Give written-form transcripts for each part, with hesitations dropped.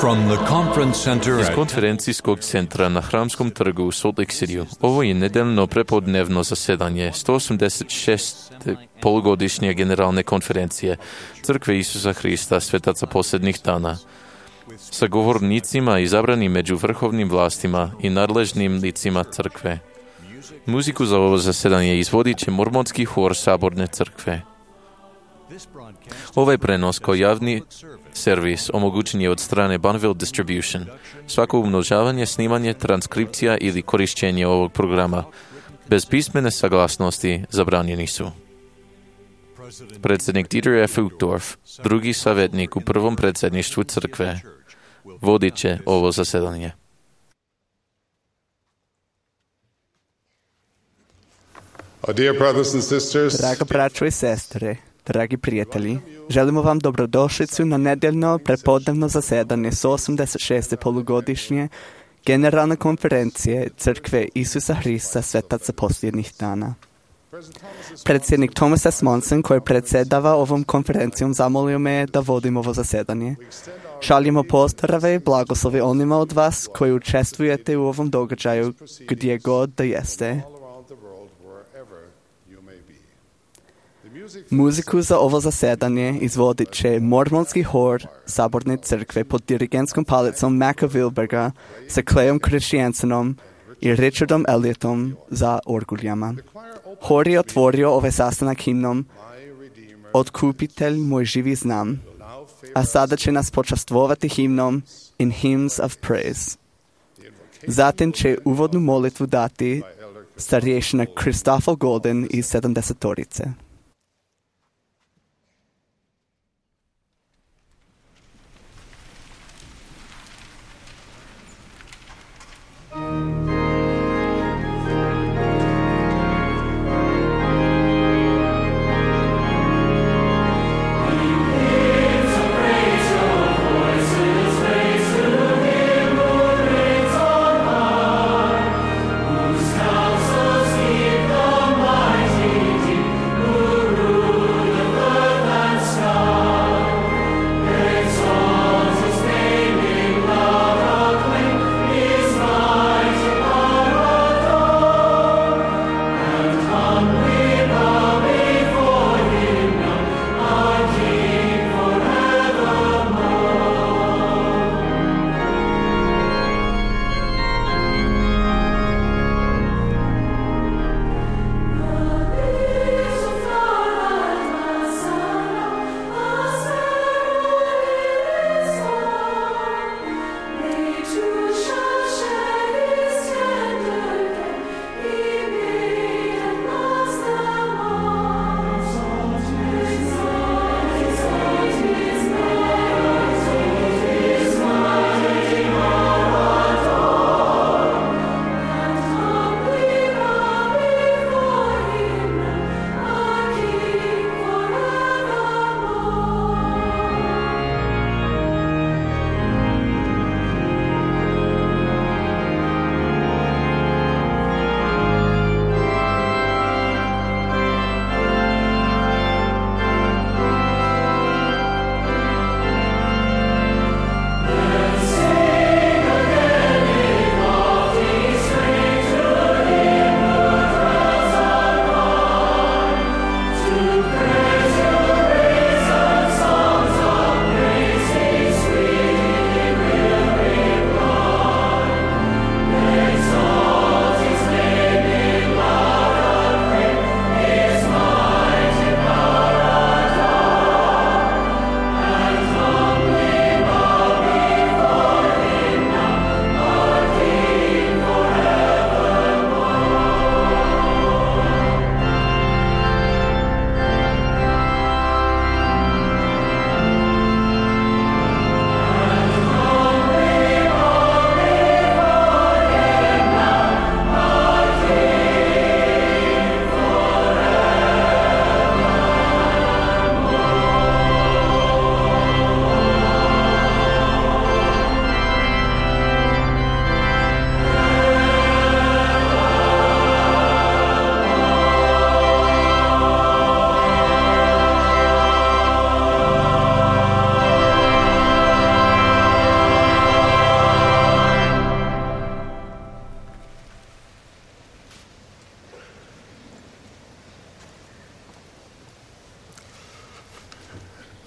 From the conference center Iz at konferencijskog centra na Hramskom trgu u Salt Lake Cityu, ovo je nedeljno prepodnevno zasedanje 186. polugodišnje generalne konferencije Crkve Isusa Hrista Svetaca posljednjih dana, sa govornicima izabranim među vrhovnim vlastima i nadležnim licima crkve. Muziku za ovo zasedanje izvodit će mormonski hor Saborne crkve. Ovaj prenos kao javni servis omogućen je od strane Bonneville Distribution. Svako umnožavanje, snimanje, transkripcija ili korišćenje ovog programa bez pismene saglasnosti zabranjeni su. Predsjednik Dieter F. Uchtdorf, drugi savjetnik u prvom predsjedništvu crkve, vodit će ovo zasedanje. Draga braćo i sestre, dragi prijatelji, želimo vam dobrodošlicu na nedeljno prepodnevno zasedanje 186. polugodišnje generalne konferencije Crkve Isusa Hrista Svetaca posljednjih dana. Predsjednik Thomas S. Monson, koji predsjedava ovom konferencijom, zamolio me da vodim ovo zasedanje. Šaljemo pozdrave i blagoslove onima od vas koji učestvujete u ovom događaju gdje god da jeste. Muziku za ovo zasedanje izvodit će mormonski hor Saborne crkve pod dirigentskom palicom Macka Wilberga sa Clayom Christiansenom i Richardom Elliotom za orguljama. Hor je otvorio ovaj sastanak himnom Otkupitelj moj živi znam, a sada će nas počastvovati himnom In Hymns of Praise. Zatim će uvodnu molitvu dati starješina Christopher Golden iz 70-torice. Whose counsels keep the mighty deep,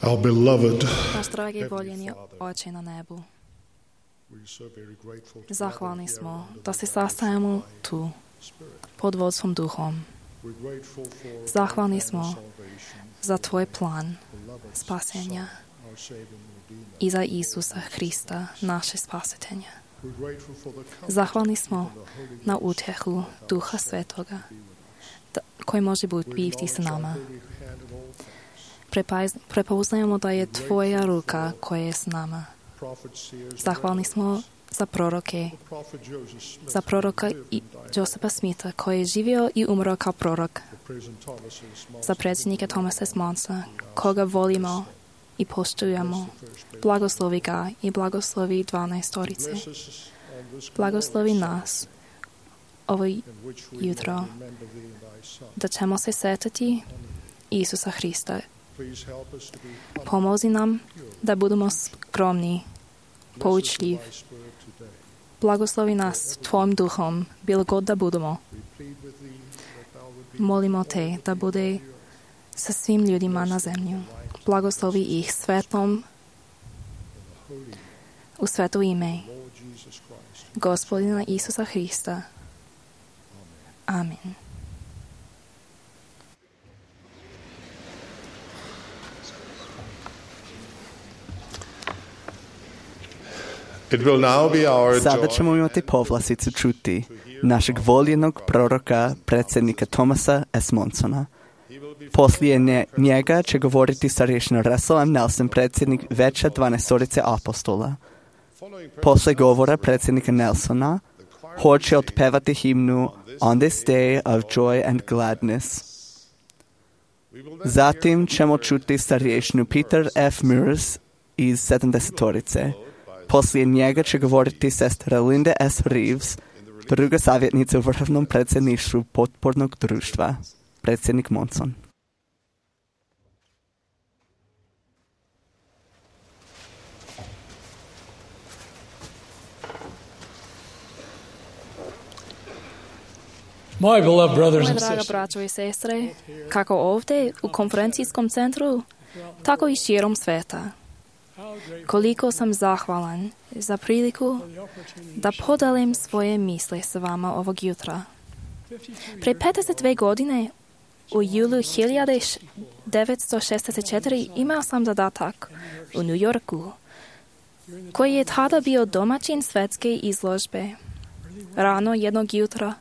Our beloved, Naš dragi voljeni Oče na nebu, zahvalni smo da se sastajemo tu pod vodstvom Duhom. Zahvalni smo za Tvoj plan spasenja i za Isusa Hrista, naše spasitelja. Zahvalni smo na utjehu Duha Svetoga koji može biti s nama. Prepoznajemo da je Tvoja ruka koja je s nama. Zahvalni smo za proroka Josepa Smitha koji je živio i umro kao prorok, za predsjednika Thomasa S. Monsa koga volimo i poštujemo. Blagoslovi ga i blagoslovi 12-torice. Blagoslovi nas ovo jutro da ćemo se setiti Isusa Hrista. Pomozi nam da budemo skromni, poučljiv. Blagoslovi nas Tvojim duhom, bilo god da budemo. Molimo Te da bude sa svim ljudima na zemlju. Blagoslovi ih svetlom u sveto ime Gospodina Isusa Hrista. Amen. Sada ćemo imati povlasticu čuti našeg voljenog proroka, predsjednika Thomasa S. Monsona. Poslije njega će govoriti starješina Russell M. Nelson, predsjednik Veća 12-torice apostola. Poslije govora predsjednika Nelsona, hor će otpevati himnu On this day of joy and gladness. Zatim ćemo čuti starješinu Peter F. Mears iz 70-torice. Poslije njega će govoriti sestra Linda S. Reeves, druga savjetnica u vrhovnom predsjedništvu potpornog društva, predsjednik Monson. Moje draga braćo i sestre, kako ovdje u konferencijskom centru, tako i širom sveta. Koliko sam zahvalan za priliku da podelim svoje misli s vama ovog jutra. Pre 52 godine, u julu 1964, imao sam zadatak u New Yorku, koji je tada bio domaćin svetske izložbe. Rano jednog jutra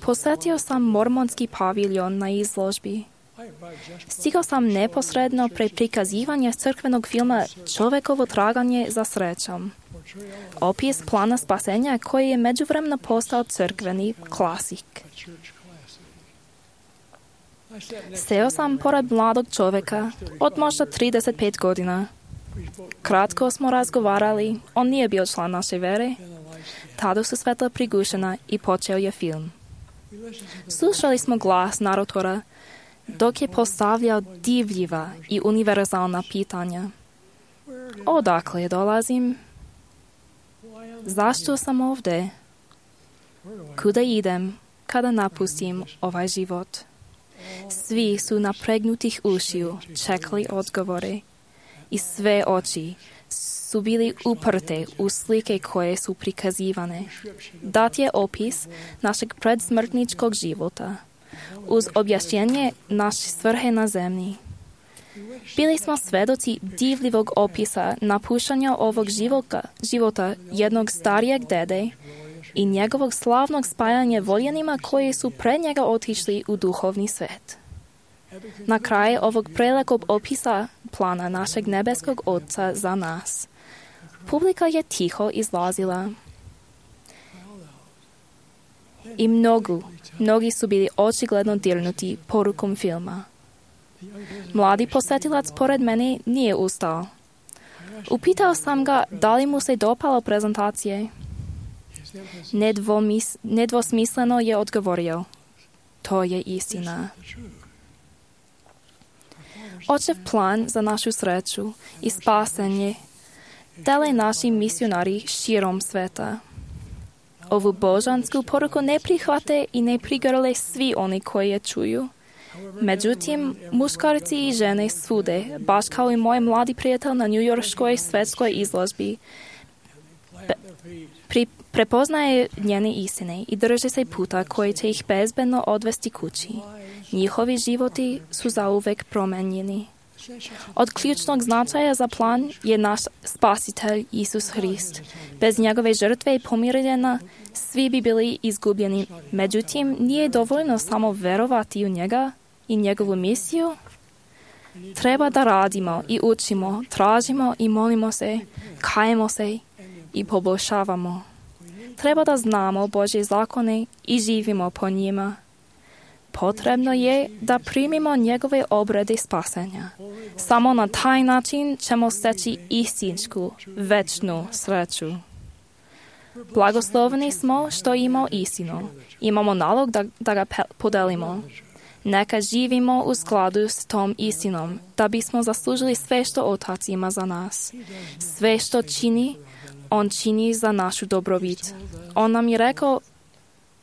posjetio sam mormonski paviljon na izložbi. Stigao sam neposredno pre prikazivanja crkvenog filma Čovekovo traganje za srećom. Opis plana spasenja koji je međuvremeno postao crkveni klasik. Seo sam pored mladog čoveka od možda 35 godina. Kratko smo razgovarali, on nije bio član naše vere. Tada su svetla prigušena i počeo je film. Slušali smo glas naratora dok je postavljao divljiva i univerzalna pitanja. Odakle dolazim? Zašto sam ovdje? Kuda idem kada napustim ovaj život? Svi su napregnutih ušiju čekali odgovore i sve oči su bili uprte u slike koje su prikazivane. Dat je opis našeg predsmrtničkog života uz objašnjenje naše svrhe na zemlji. Bili smo svedoci divljivog opisa napuštanja ovog života jednog starijeg dede i njegovog slavnog spajanja voljenima koji su pred njega otišli u duhovni svet. Na kraju ovog prelepog opisa plana našeg nebeskog Oca za nas, publika je tiho izlazila. I mnogi su bili očigledno dirnuti porukom filma. Mladi posjetilac pored mene nije ustao. Upitao sam ga da li mu se dopalo prezentacije. Nedvosmisleno je odgovorio: to je istina. Očev plan za našu sreću i spasenje dele naši misionari širom sveta. Ovu božansku poruku ne prihvate i ne prigrle svi oni koji je čuju, Međutim, muškarci i žene svude, baš kao i moj mladi prijatelj na njujorškoj svetskoj izložbi, prepoznaje njene istine i drže se puta koji će ih bezbedno odvesti kući. Njihovi životi su zauvek promenjeni. Od ključnog značaja za plan je naš spasitelj Isus Hrist. Bez njegove žrtve i pomirenja svi bi bili izgubljeni. Međutim, nije dovoljno samo verovati u njega i njegovu misiju. Treba da radimo i učimo, tražimo i molimo se, kajemo se i poboljšavamo. Treba da znamo Božje zakone i živimo po njima. Potrebno je da primimo njegove obrede spasenja. Samo na taj način ćemo steći istinsku, večnu sreću. Blagosloveni smo što imamo istinu. Imamo nalog da ga podelimo. Neka živimo u skladu s tom istinom, da bismo zaslužili sve što Otac ima za nas. Sve što čini, On čini za našu dobrobit. On nam je rekao,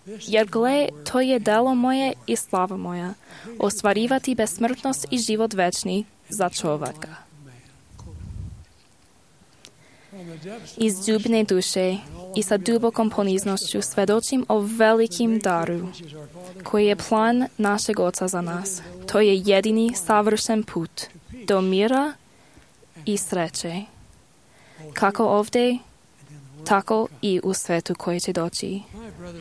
jer gle, to je delo moje i slava moja, ostvarivati besmrtnost i život večni za čovjeka. Iz dubine duše i sa dubokom poniznošću svedočim o velikim daru, koji je plan našeg Oca za nas. To je jedini savršen put do mira i sreće. Kako ovdje, tako i u svetu koji će doći.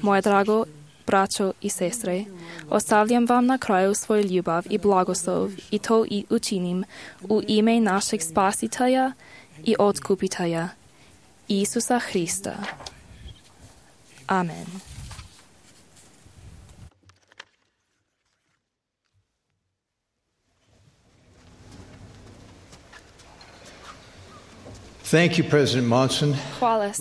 Moje drago braćo i sestre, ostavljam vam na kraju svoju ljubav i blagoslov i to i učinim u ime našeg Spasitelja i Otkupitelja, Isusa Hrista. Amen. Thank you, President Monson. Hvala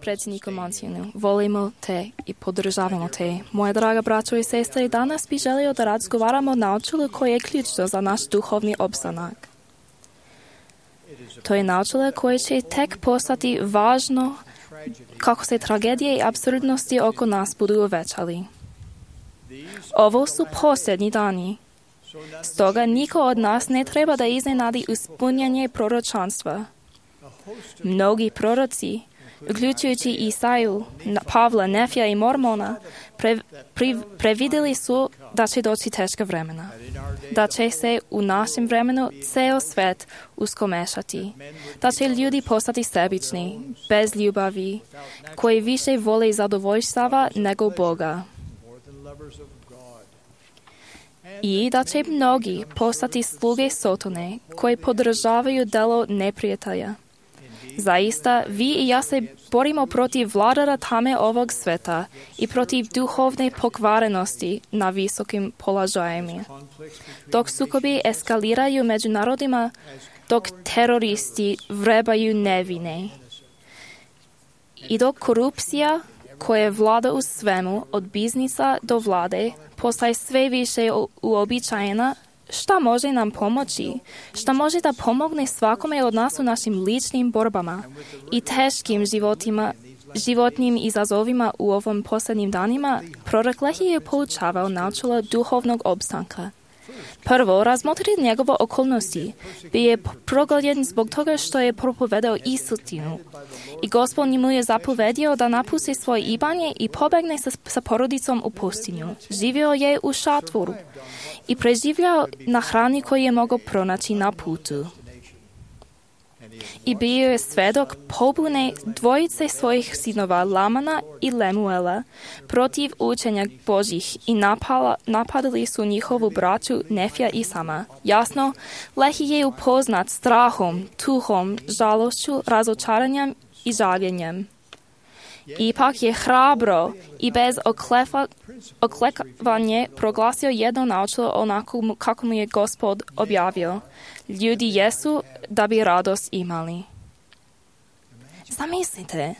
predsjedniku Monsonu. Volimo te i podržavamo te. Moja draga braćo i sestre, danas bi želio da razgovaramo o načelu koje je ključno za naš duhovni opstanak. To je načelo koje će tek postati važno kako se tragedije i apsurdnosti oko nas budu uvećali. Ovo su posljednji dani. Stoga niko od nas ne treba da iznenadi ispunjanje proročanstva. Mnogi proroci, uključujući Isaju, Pavla, Nefija i Mormona, previdjeli su da će doći teška vremena, da će se u našem vremenu ceo svet uskomešati, da će ljudi postati sebični, bez ljubavi, koji više vole zadovoljstava nego Boga. I da će mnogi postati sluge Sotone, koji podržavaju delo neprijatelja. Zaista, vi i ja se borimo protiv vladara tame ovog sveta i protiv duhovne pokvarenosti na visokim položajima. Dok sukobi eskaliraju među narodima, dok teroristi vrebaju nevine. I dok korupcija, koja vlada u svemu, od biznisa do vlade, postaje sve više uobičajena, šta može nam pomoći? Šta može da pomogne svakome od nas u našim ličnim borbama i teškim životnim izazovima u ovom posljednjim danima? Prorok Lehije je poučavao načelo duhovnog opstanka. Prvo, razmotri njegove okolnosti. Bio je progoljen zbog toga što je propovedao istinu. I Gospod mu je zapovedio da napusti svoje imanje i pobegne sa porodicom u pustinju. Živio je u šatoru i preživljao na hrani koju je mogao pronaći na putu. I bio je svedok pobune dvojice svojih sinova Lamana i Lemuela protiv učenja Božih i napadali su njihovu braću Nefija i Sama. Jasno, Lehi je upoznat strahom, tuhom, žalošću, razočaranjem i žaljenjem. Ipak je hrabro i bez oklekavanja proglasio jedno načelo onako kako mu je Gospod objavio. Ljudi jesu da bi radost imali. Zamislite,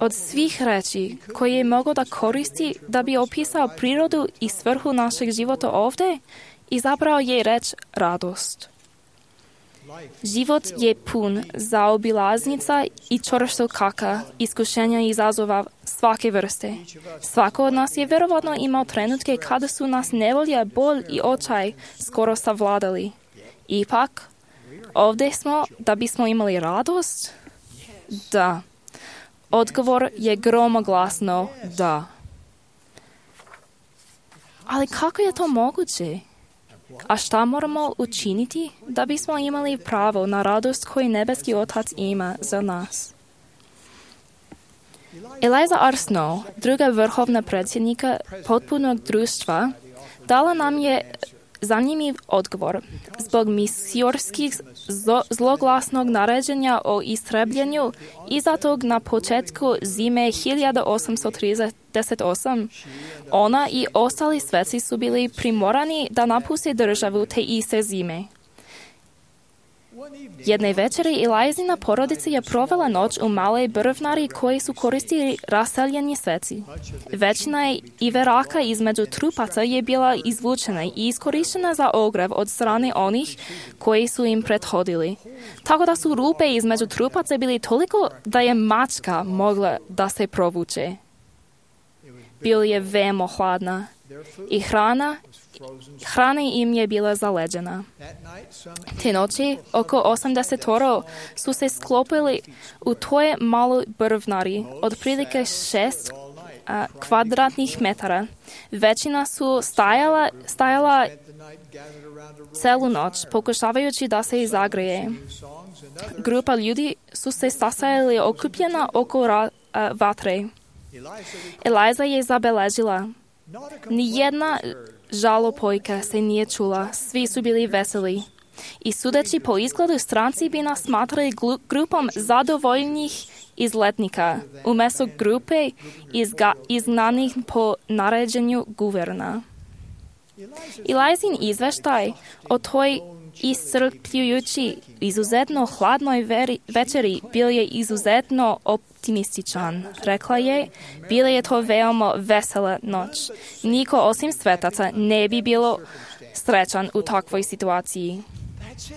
od svih reči koje je mogao da koristi da bi opisao prirodu i svrhu našeg života ovdje, izabrao je reč radost. Život je pun zaobilaznica i čvrstokaka, iskušenja i izazova svake vrste. Svako od nas je vjerovatno imao trenutke kada su nas nevolja, bol i očaj skoro savladali. Ipak, ovdje smo da bismo imali radost? Da. Odgovor je gromoglasno da. Ali kako je to moguće? A šta moramo učiniti da bismo imali pravo na radost koju nebeski Otac ima za nas? Eliza R. Snow, druga vrhovna predsjednika potpunog društva, dala nam je zanimljiv odgovor. Zbog misiorskih zloglasnog naređenja o istrebljenju izdatog na početku zime 1838, ona i ostali sveci su bili primorani da napuste državu te iste zime. Jedne večeri Elizina porodica je provela noć u maloj brvnari koji su koristili raseljeni sveci. Većina iveraka između trupaca je bila izvučena i iskorištena za ogrev od strane onih koji su im prethodili. Tako da su rupe između trupaca bili toliko da je mačka mogla da se provuče. Bilo je veoma hladna i hrana im je bila zaleđena. Te noći oko 80 su se sklopili u toj maloj brvnari, otprilike 6 kvadratnih metara. Većina su stajala celu noć, pokušavajući da se zagreje. Grupa ljudi su se sastajali okupljena oko vatre. Eliza je zabeležila. Nijedna žalopojka se nije čula, svi su bili veseli. I sudeći po izgledu, stranci bi nas smatrali grupom zadovoljnih izletnika, umjesto grupe izgnanih po naređenju guverna. Elizin izveštaj o toj iscrpljujući, izuzetno hladnoj večeri bio je izuzetno optimističan. Rekla je, bila je to veoma vesela noć. Niko osim svetaca ne bi bilo srećan u takvoj situaciji.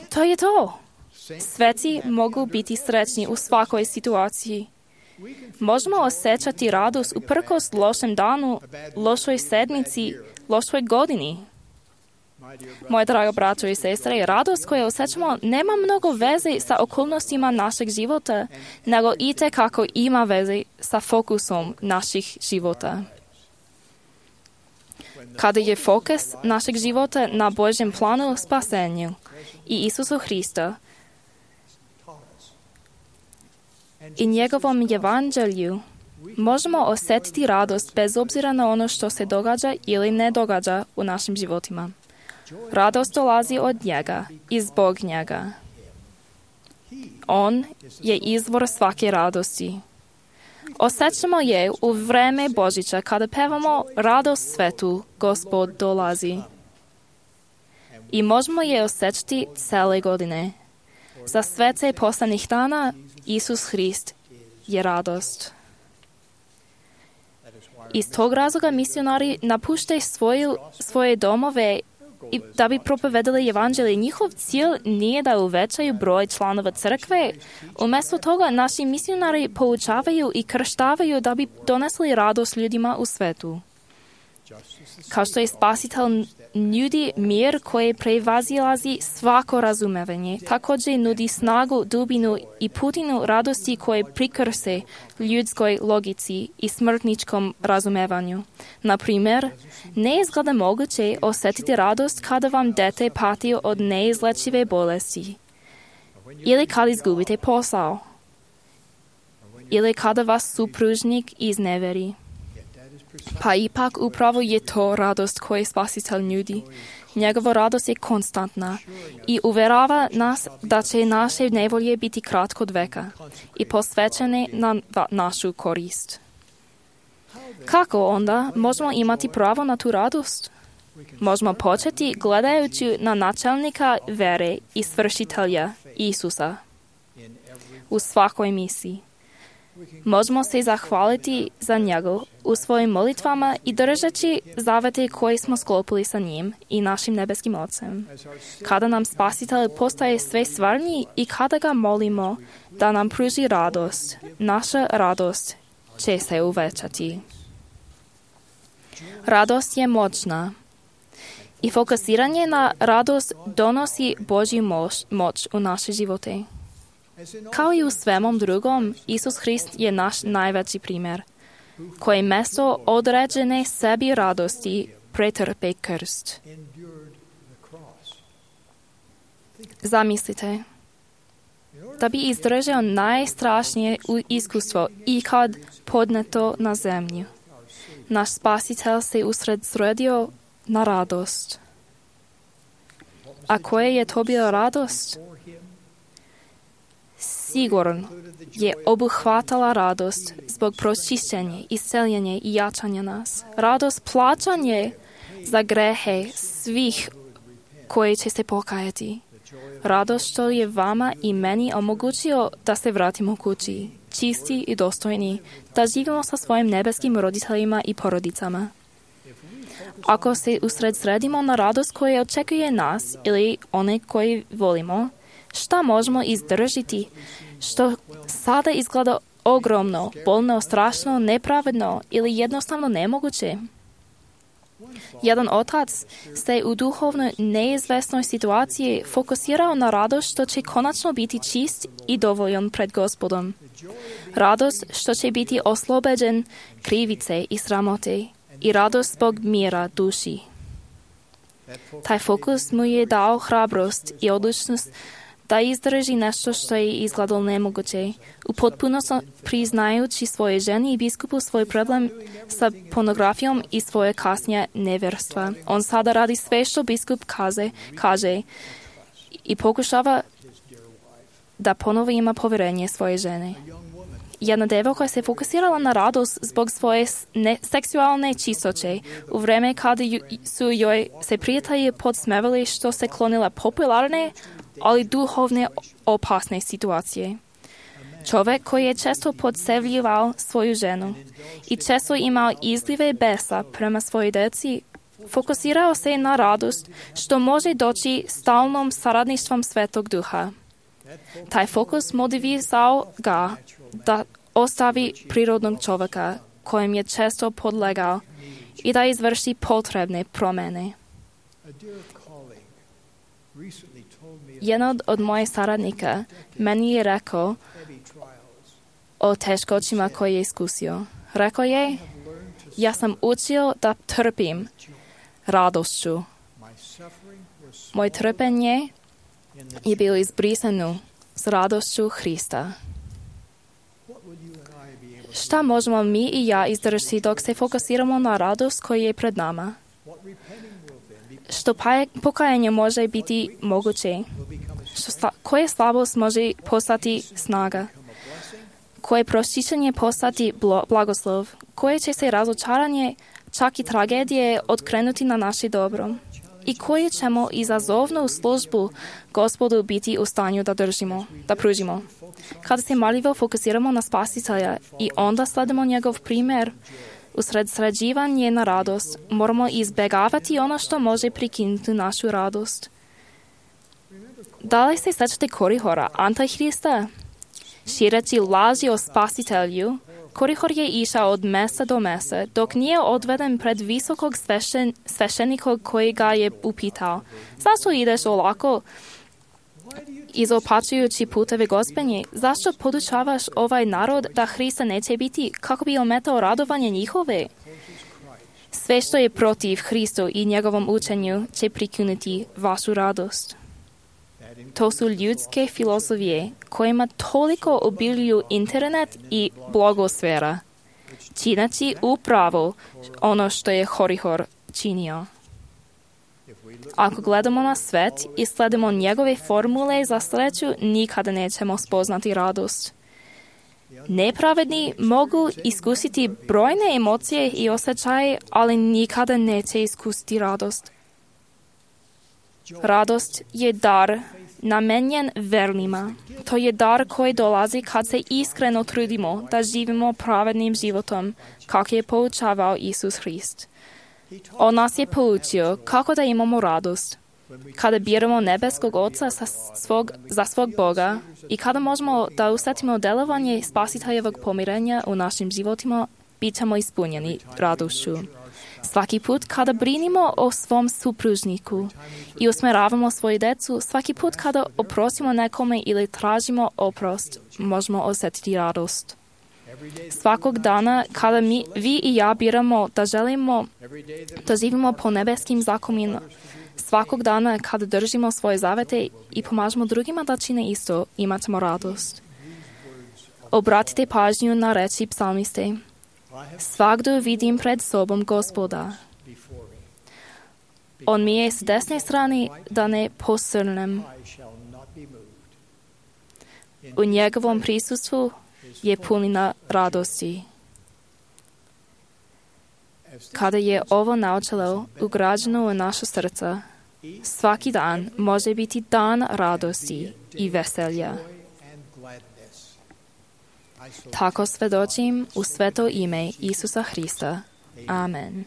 To je to. Sveci mogu biti srećni u svakoj situaciji. Možemo osjećati radost uprkos lošem danu, lošoj sedmici, lošoj godini. Moje drago braćo i sestre, radost koju osjećamo nema mnogo veze sa okolnostima našeg života, nego itekako ima veze sa fokusom naših života. Kada je fokus našeg života na Božjem planu spasenju i Isusu Hrista i njegovom evanđelju, možemo osjetiti radost bez obzira na ono što se događa ili ne događa u našim životima. Radost dolazi od njega i zbog njega. On je izvor svake radosti. Osjećamo je u vreme Božića kada pevamo radost svetu, Gospod dolazi. I možemo je osjećati cele godine. Za svece poslanih dana Isus Hrist je radost. Iz tog razloga misionari napuštaju svoje domove i da bi propovedali evanđelje. Njihov cilj nije da uvećaju broj članova crkve. Umjesto toga naši misionari poučavaju i krštavaju da bi donesli radost ljudima u svetu. Kao što je spasitelj nudi mir koji prevazilazi svako razumevanje, također nudi snagu, dubinu i putinu radosti koje prikrse ljudskoj logici i smrtničkom razumevanju. Na primjer, ne izgleda moguće osjetiti radost kada vam dete pati od neizlečive bolesti, ili kad izgubite posao, ili kada vas supružnik izneveri. Pa ipak upravo je to radost koju spasitelj nudi. Njegova radost je konstantna i uvjerava nas da će naše nevolje biti kratko od veka i posvećene na našu korist. Kako onda možemo imati pravo na tu radost? Možemo početi gledajući na načelnika vere i svršitelja Isusa u svakoj misiji. Možemo se zahvaliti za u svojim molitvama i držeći zavete koje smo sklopili sa njim i našim nebeskim Ocem. Kada nam Spasitelj postaje sve stvarniji i kada ga molimo da nam pruži radost, naša radost će se uvećati. Radost je moćna i fokusiranje na radost donosi Božju moć u naše živote. Kao i u svemu drugom, Isus Hrist je naš najveći primjer, koji mesto određene sebi radosti pretrpe krst. Zamislite, da bi izdržao najstrašnije iskustvo ikad podneto na zemlju. Naš Spasitelj se usredsredio na radost. A koja je to bila radost? Sigurno je obuhvatala radost zbog pročišćenja, isceljenja i jačanja nas. Radost plaćanje za grehe svih koji će se pokajati. Radost što je vama i meni omogućio da se vratimo kući, čisti i dostojni, da živimo sa svojim nebeskim roditeljima i porodicama. Ako se usredsredimo na radost koja očekuje nas ili one koje volimo, šta možemo izdržiti, što sada izgleda ogromno, bolno, strašno, nepravedno ili jednostavno nemoguće? Jedan otac se u duhovno neizvesnoj situaciji fokusirao na radost što će konačno biti čist i dovoljan pred Gospodom. Radost što će biti oslobođen krivice i sramote i radost zbog mira duši. Taj fokus mu je dao hrabrost i odlučnost da izdrži nešto što je izgledalo nemoguće, u potpunosti priznajući svoje ženi i biskupu svoj problem sa pornografijom i svoje kasnije nevjerstva. On sada radi sve što biskup kaže i pokušava da ponovo ima povjerenje svoje žene. Jedna devojka se fokusirala na radost zbog svoje seksualne čistoće u vrijeme kada su joj se prijatelji podsmevali što se klonila popularne, ali duhovne opasne situacije. Čovjek koji je često podsevljivao svoju ženu i često imao izlive besa prema svojoj djeci, fokusirao se na radost što može doći stalnom saradništvom Svetog Duha. Taj fokus motivirao ga da ostavi prirodnog čovjeka kojem je često podlegao i da izvrši potrebne promjene. Jedan od mojih saradnika meni je rekao o teškoćima koje je iskusio. Rekao je, ja sam učio da trpim radošću. Moje trpenje je bilo izbrisano s radošću Hrista. Šta možemo mi i ja izdržati dok se fokusiramo na radost koja je pred nama? Što pokajanje može biti moguće? Koja slabost može postati snaga? Koje pročišćenje postati blagoslov? Koje će se razočaranje, čak i tragedije, otkrenuti na naše dobro? I koje ćemo izazovnu službu Gospodu biti u stanju da pružimo? Kada se marljivo fokusiramo na Spasitelja i onda sledimo njegov primjer, usredsređivanje na radost, moramo izbjegavati ono što može prekinuti našu radost. Da li se sjećate Korihora, Antihrista? Šireći laži o Spasitelju, Korihor je išao od mjesta do mjesta, dok nije odveden pred visokog sveštenika koji ga je upitao: zašto ideš olako, izopačujući puteve Gospodnje? Zašto podučavaš ovaj narod da Hrista neće biti, kako bi ometao radovanje njihove? Sve što je protiv Hristu i njegovom učenju će prikinuti vašu radost. To su ljudske filozofije kojima toliko obiljuju internet i blogosfera, čineći upravo ono što je Korihor činio. Ako gledamo na svet i sledimo njegove formule za sreću, nikada nećemo spoznati radost. Nepravedni mogu iskusiti brojne emocije i osjećaje, ali nikada neće iskusiti radost. Radost je dar namenjen vernima. To je dar koji dolazi kad se iskreno trudimo da živimo pravednim životom, kako je poučavao Isus Hrist. On nas je poučio kako da imamo radost. Kada biramo nebeskog Oca za svog Boga i kada možemo da usetimo delovanje Spasiteljevog pomirenja u našim životima, bit ćemo ispunjeni radošću. Svaki put kada brinimo o svom supružniku i usmeravamo svoju decu, svaki put kada oprostimo nekome ili tražimo oprost, možemo osjetiti radost. Svakog dana kada vi i ja biramo da želimo da živimo po nebeskim zakonima, svakog dana kada držimo svoje zavete i pomažemo drugima da čine isto, imat ćemo radost. Obratite pažnju na reči psalmiste. Svagdje vidim pred sobom Gospoda. On mi je s desne strane da ne posrnem. U njegovom prisustvu je punina radosti. Kada je ovo načelo ugrađeno u naša srca, svaki dan može biti dan radosti i veselja. Tako svedočim u sveto ime Isusa Hrista. Amen.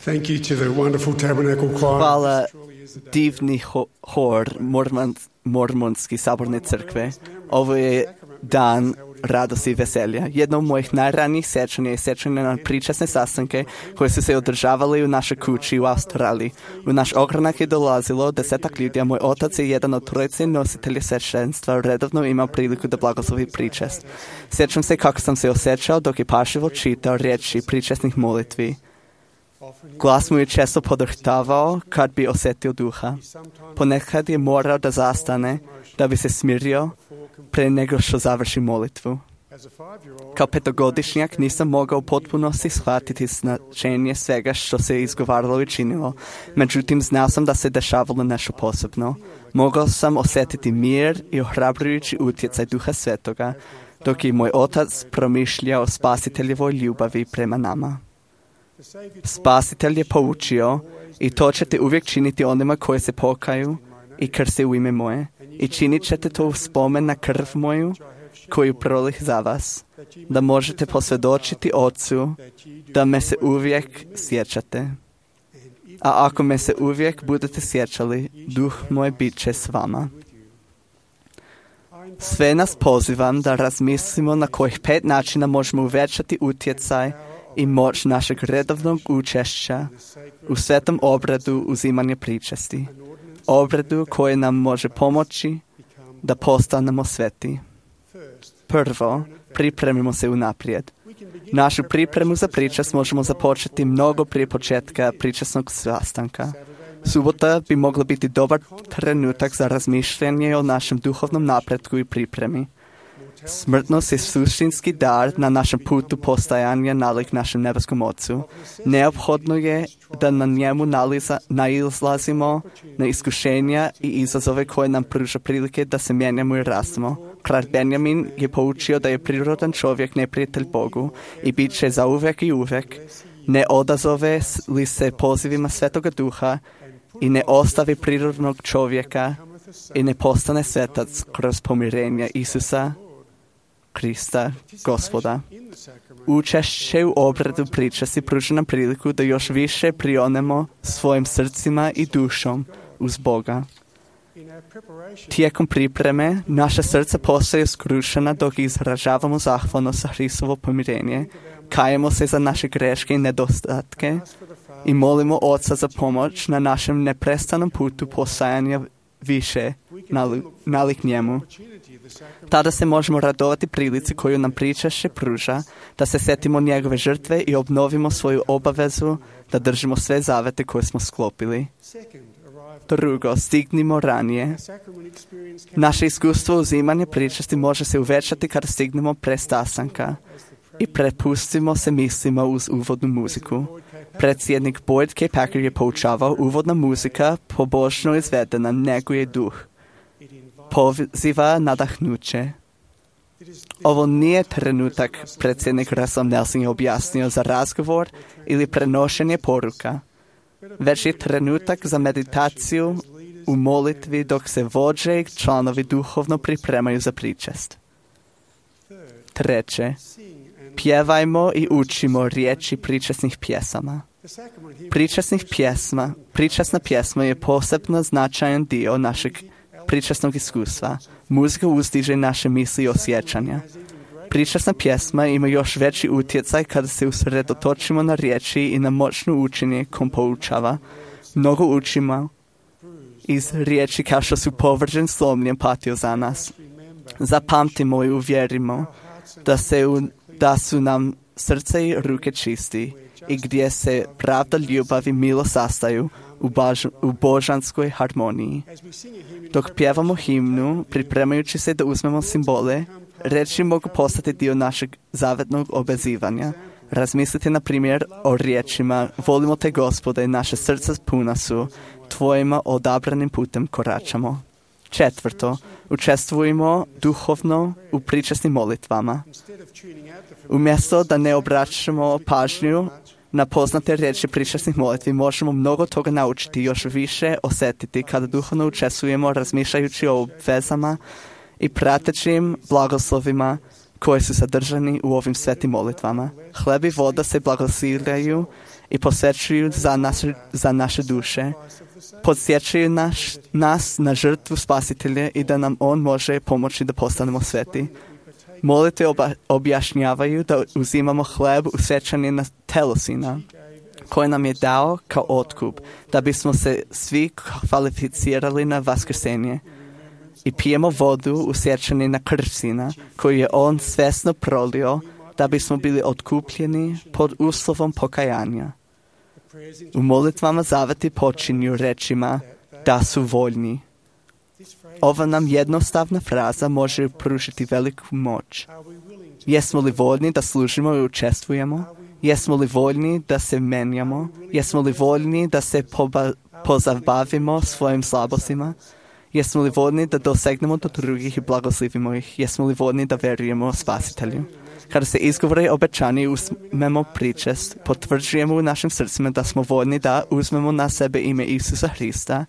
Thank you to the wonderful Tabernacle Choir. Hvala divni hor Mormonski saborne crkve. Ovo je dan radosti i veselja. Jedno od mojih najranijih sjećanja je sjećanje na pričasne sastanke koje su se održavali u našoj kući u Australiji. U naš ogranak je dolazilo 10 ljudi, a moj otac je jedan od trojice nositelja sveštenstva redovno imao priliku da blagoslovi pričest. Sjećam se kako sam se osjećao dok je pažljivo čitao riječi pričesnih molitvi. Glas mu je često podrhtavao kad bi osjetio duha. Ponekad je morao da zastane, da bi se smirio pre nego što završi molitvu. Kao 5-godišnjak nisam mogao potpunosti shvatiti značenje svega što se izgovaralo i činilo. Međutim, znao sam da se dešavalo nešto posebno. Mogao sam osjetiti mir i ohrabrujući utjecaj Duha Svetoga, dok je moj otac promišljao o spasiteljevoj ljubavi prema nama. Spasitelj je poučio: i to ćete uvijek činiti onima koji se pokaju i krste u ime moje. I činit ćete to u spomen na krv moju, koju prolih za vas, da možete posvjedočiti Ocu da me se uvijek sjećate. A ako me se uvijek budete sjećali, Duh moj bit će s vama. Sve nas pozivam da razmislimo na kojih 5 načina možemo uvećati utjecaj i moć našeg redovnog učešća u svetom obradu uzimanja pričesti. Obradu koje nam može pomoći da postanemo sveti. Prvo, pripremimo se unaprijed. Našu pripremu za pričest možemo započeti mnogo prije početka pričestnog sastanka. Subota bi mogla biti dobar trenutak za razmišljanje o našem duhovnom napretku i pripremi. Smrtnost je suštinski dar na našem putu postajanja nalik našem nebeskom Ocu. Neophodno je da na njemu nailazimo na iskušenja i izazove koje nam pruža prilike da se mijenjamo i rastemo. Kralj Benjamin je poučio da je prirodan čovjek neprijatelj Bogu i bit će zauvek i uvek. Ne odazove li se pozivima Svetoga Duha i ne ostavi prirodnog čovjeka i ne postane svetac kroz pomirenja Isusa Krista, Gospoda. Učešće u obradu pričesti pruža nam priliku da još više prionemo svojim srcima i dušom uz Boga. Tijekom pripreme naša srca postaju skrušena dok izražavamo zahvalnost za Hristovo pomirenje, kajemo se za naše greške i nedostatke i molimo Oca za pomoć na našem neprestanom putu postajanja više nalik njemu. Tada se možemo radovati prilici koju nam pričašće pruža, da se sjetimo njegove žrtve i obnovimo svoju obavezu da držimo sve zavete koje smo sklopili. Drugo, stignimo ranije. Naše iskustvo uzimanja pričesti može se uvećati kada stignemo pre sastanka i prepustimo se mislima uz uvodnu muziku. Predsjednik Boyd K. Packer je poučavao: uvodna muzika, pobožno izvedena, neguje duh, poziva nadahnuće. Ovo nije trenutak, predsjednik Russell Nelson je objasnio, za razgovor ili prenošenje poruka, već je trenutak za meditaciju u molitvi dok se vođe i članovi duhovno pripremaju za pričest. Treće, pjevajmo i učimo riječi pričesnih pjesama. Pričesna pjesma je posebno značajan dio našeg pričesnog iskustva. Muzika uzdiže naše misli i osjećanja. Pričesna pjesma ima još veći utjecaj kada se usredotočimo na riječi i na moćno učenje kom poučava. Mnogo učimo iz riječi kao što su: povržen, slomljen, patio za nas. Zapamtimo i uvjerimo da su nam srce i ruke čisti i gdje se pravda, ljubav i milost sastaju u božanskoj harmoniji. Dok pjevamo himnu, pripremajući se da uzmemo simbole, riječi mogu postati dio našeg zavetnog obvezivanja. Razmislite na primjer o riječima: volimo te Gospode, naše srca puna su, tvojima odabranim putem koračamo. Četvrto, učestvujemo duhovno u pričesnim molitvama. Umjesto da ne obraćamo pažnju na poznate riječi pričesnih molitvi, možemo mnogo toga naučiti, još više osjetiti kada duhovno učestvujemo razmišljajući o vezama i pratećim blagoslovima koji su sadržani u ovim svetim molitvama. Hleb i voda se blagosiljaju i posvećuju za naše duše. Podsjećaju nas na žrtvu Spasitelja i da nam On može pomoći da postanemo sveti. Molitve objašnjavaju da uzimamo hleb u sjećanje na telo Sina, koje nam je dao kao otkup, da bismo se svi kvalificirali na vaskrsenje. I pijemo vodu u sjećanje na krv Sina, koju je On svjesno prolio, da bismo bili otkupljeni pod uslovom pokajanja. U molitvama zaveti počinju rečima da su voljni. Ova nam jednostavna fraza može pružiti veliku moć. Jesmo li voljni da služimo i učestvujemo? Jesmo li voljni da se menjamo? Jesmo li voljni da se pozabavimo svojim slabostima? Jesmo li voljni da dosegnemo do drugih i blagoslivimo ih? Jesmo li voljni da verujemo Spasitelju? Kada se izgovore obećanje i uzmemo pričest, potvrđujemo u našim srcima da smo voljni da uzmemo na sebe ime Isusa Hrista,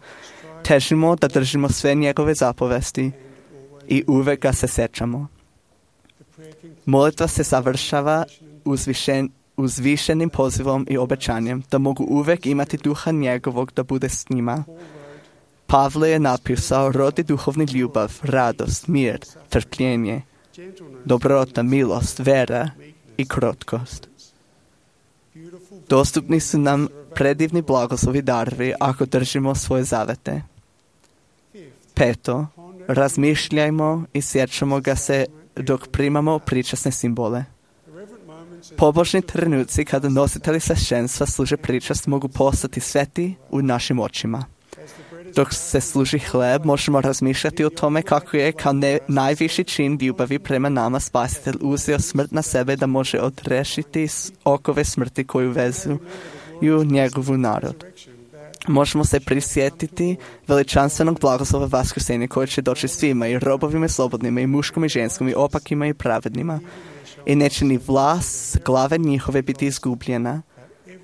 težimo da držimo sve njegove zapovesti i uvek ga se sećamo. Molitva se završava uzvišenim pozivom i obećanjem da mogu uvek imati duha njegovog da bude s njima. Pavle je napisao: rodi duhovni ljubav, radost, mir, trpljenje, dobrota, milost, vera i krotkost. Dostupni su nam predivni blagoslovi darovi ako držimo svoje zavete. 5. Razmišljajmo i sjećamo ga se dok primamo pričasne simbole. Pobožni trenuci kada nositelji sveštenstva služe pričast mogu postati sveti u našim očima. Dok se služi hleb, možemo razmišljati o tome kako je kao najviši čin ljubavi prema nama Spasitelj uzeo smrt na sebe da može odrešiti okove smrti koju vezuju njegovu narod. Možemo se prisjetiti veličanstvenog blagoslova vaskrsenja koje će doći svima, i robovima i slobodnima, i muškom i ženskom, i opakima i pravednima. I neće ni vlas glave njihove biti izgubljena,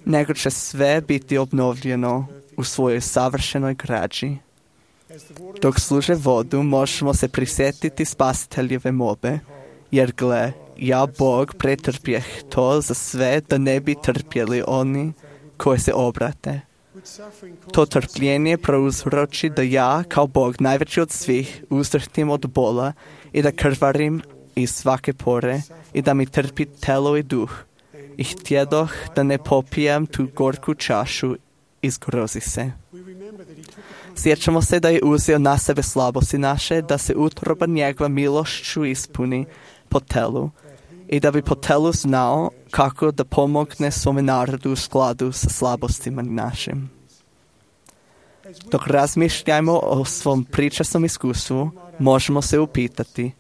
nego će sve biti obnovljeno u svojoj savršenoj građi. Dok služe vodu, možemo se prisjetiti Spasiteljeve molbe, jer gle, ja Bog pretrpjeh to za sve da ne bi trpjeli oni koji se obrate. To trpljenje prouzroči da ja, kao Bog, najveći od svih, uzdrhtim od bola i da krvarim iz svake pore i da mi trpi telo i duh. I htjedoh da ne popijem tu gorku čašu i zgrozi se. Sjećamo se da je uzeo na sebe slabosti naše, da se utroba njegova milošću ispuni po telu i da bi po telu znao kako da pomogne svome narodu u skladu sa slabostima našim. Dok razmišljajmo o svom pričasnom iskustvu, možemo se upitati: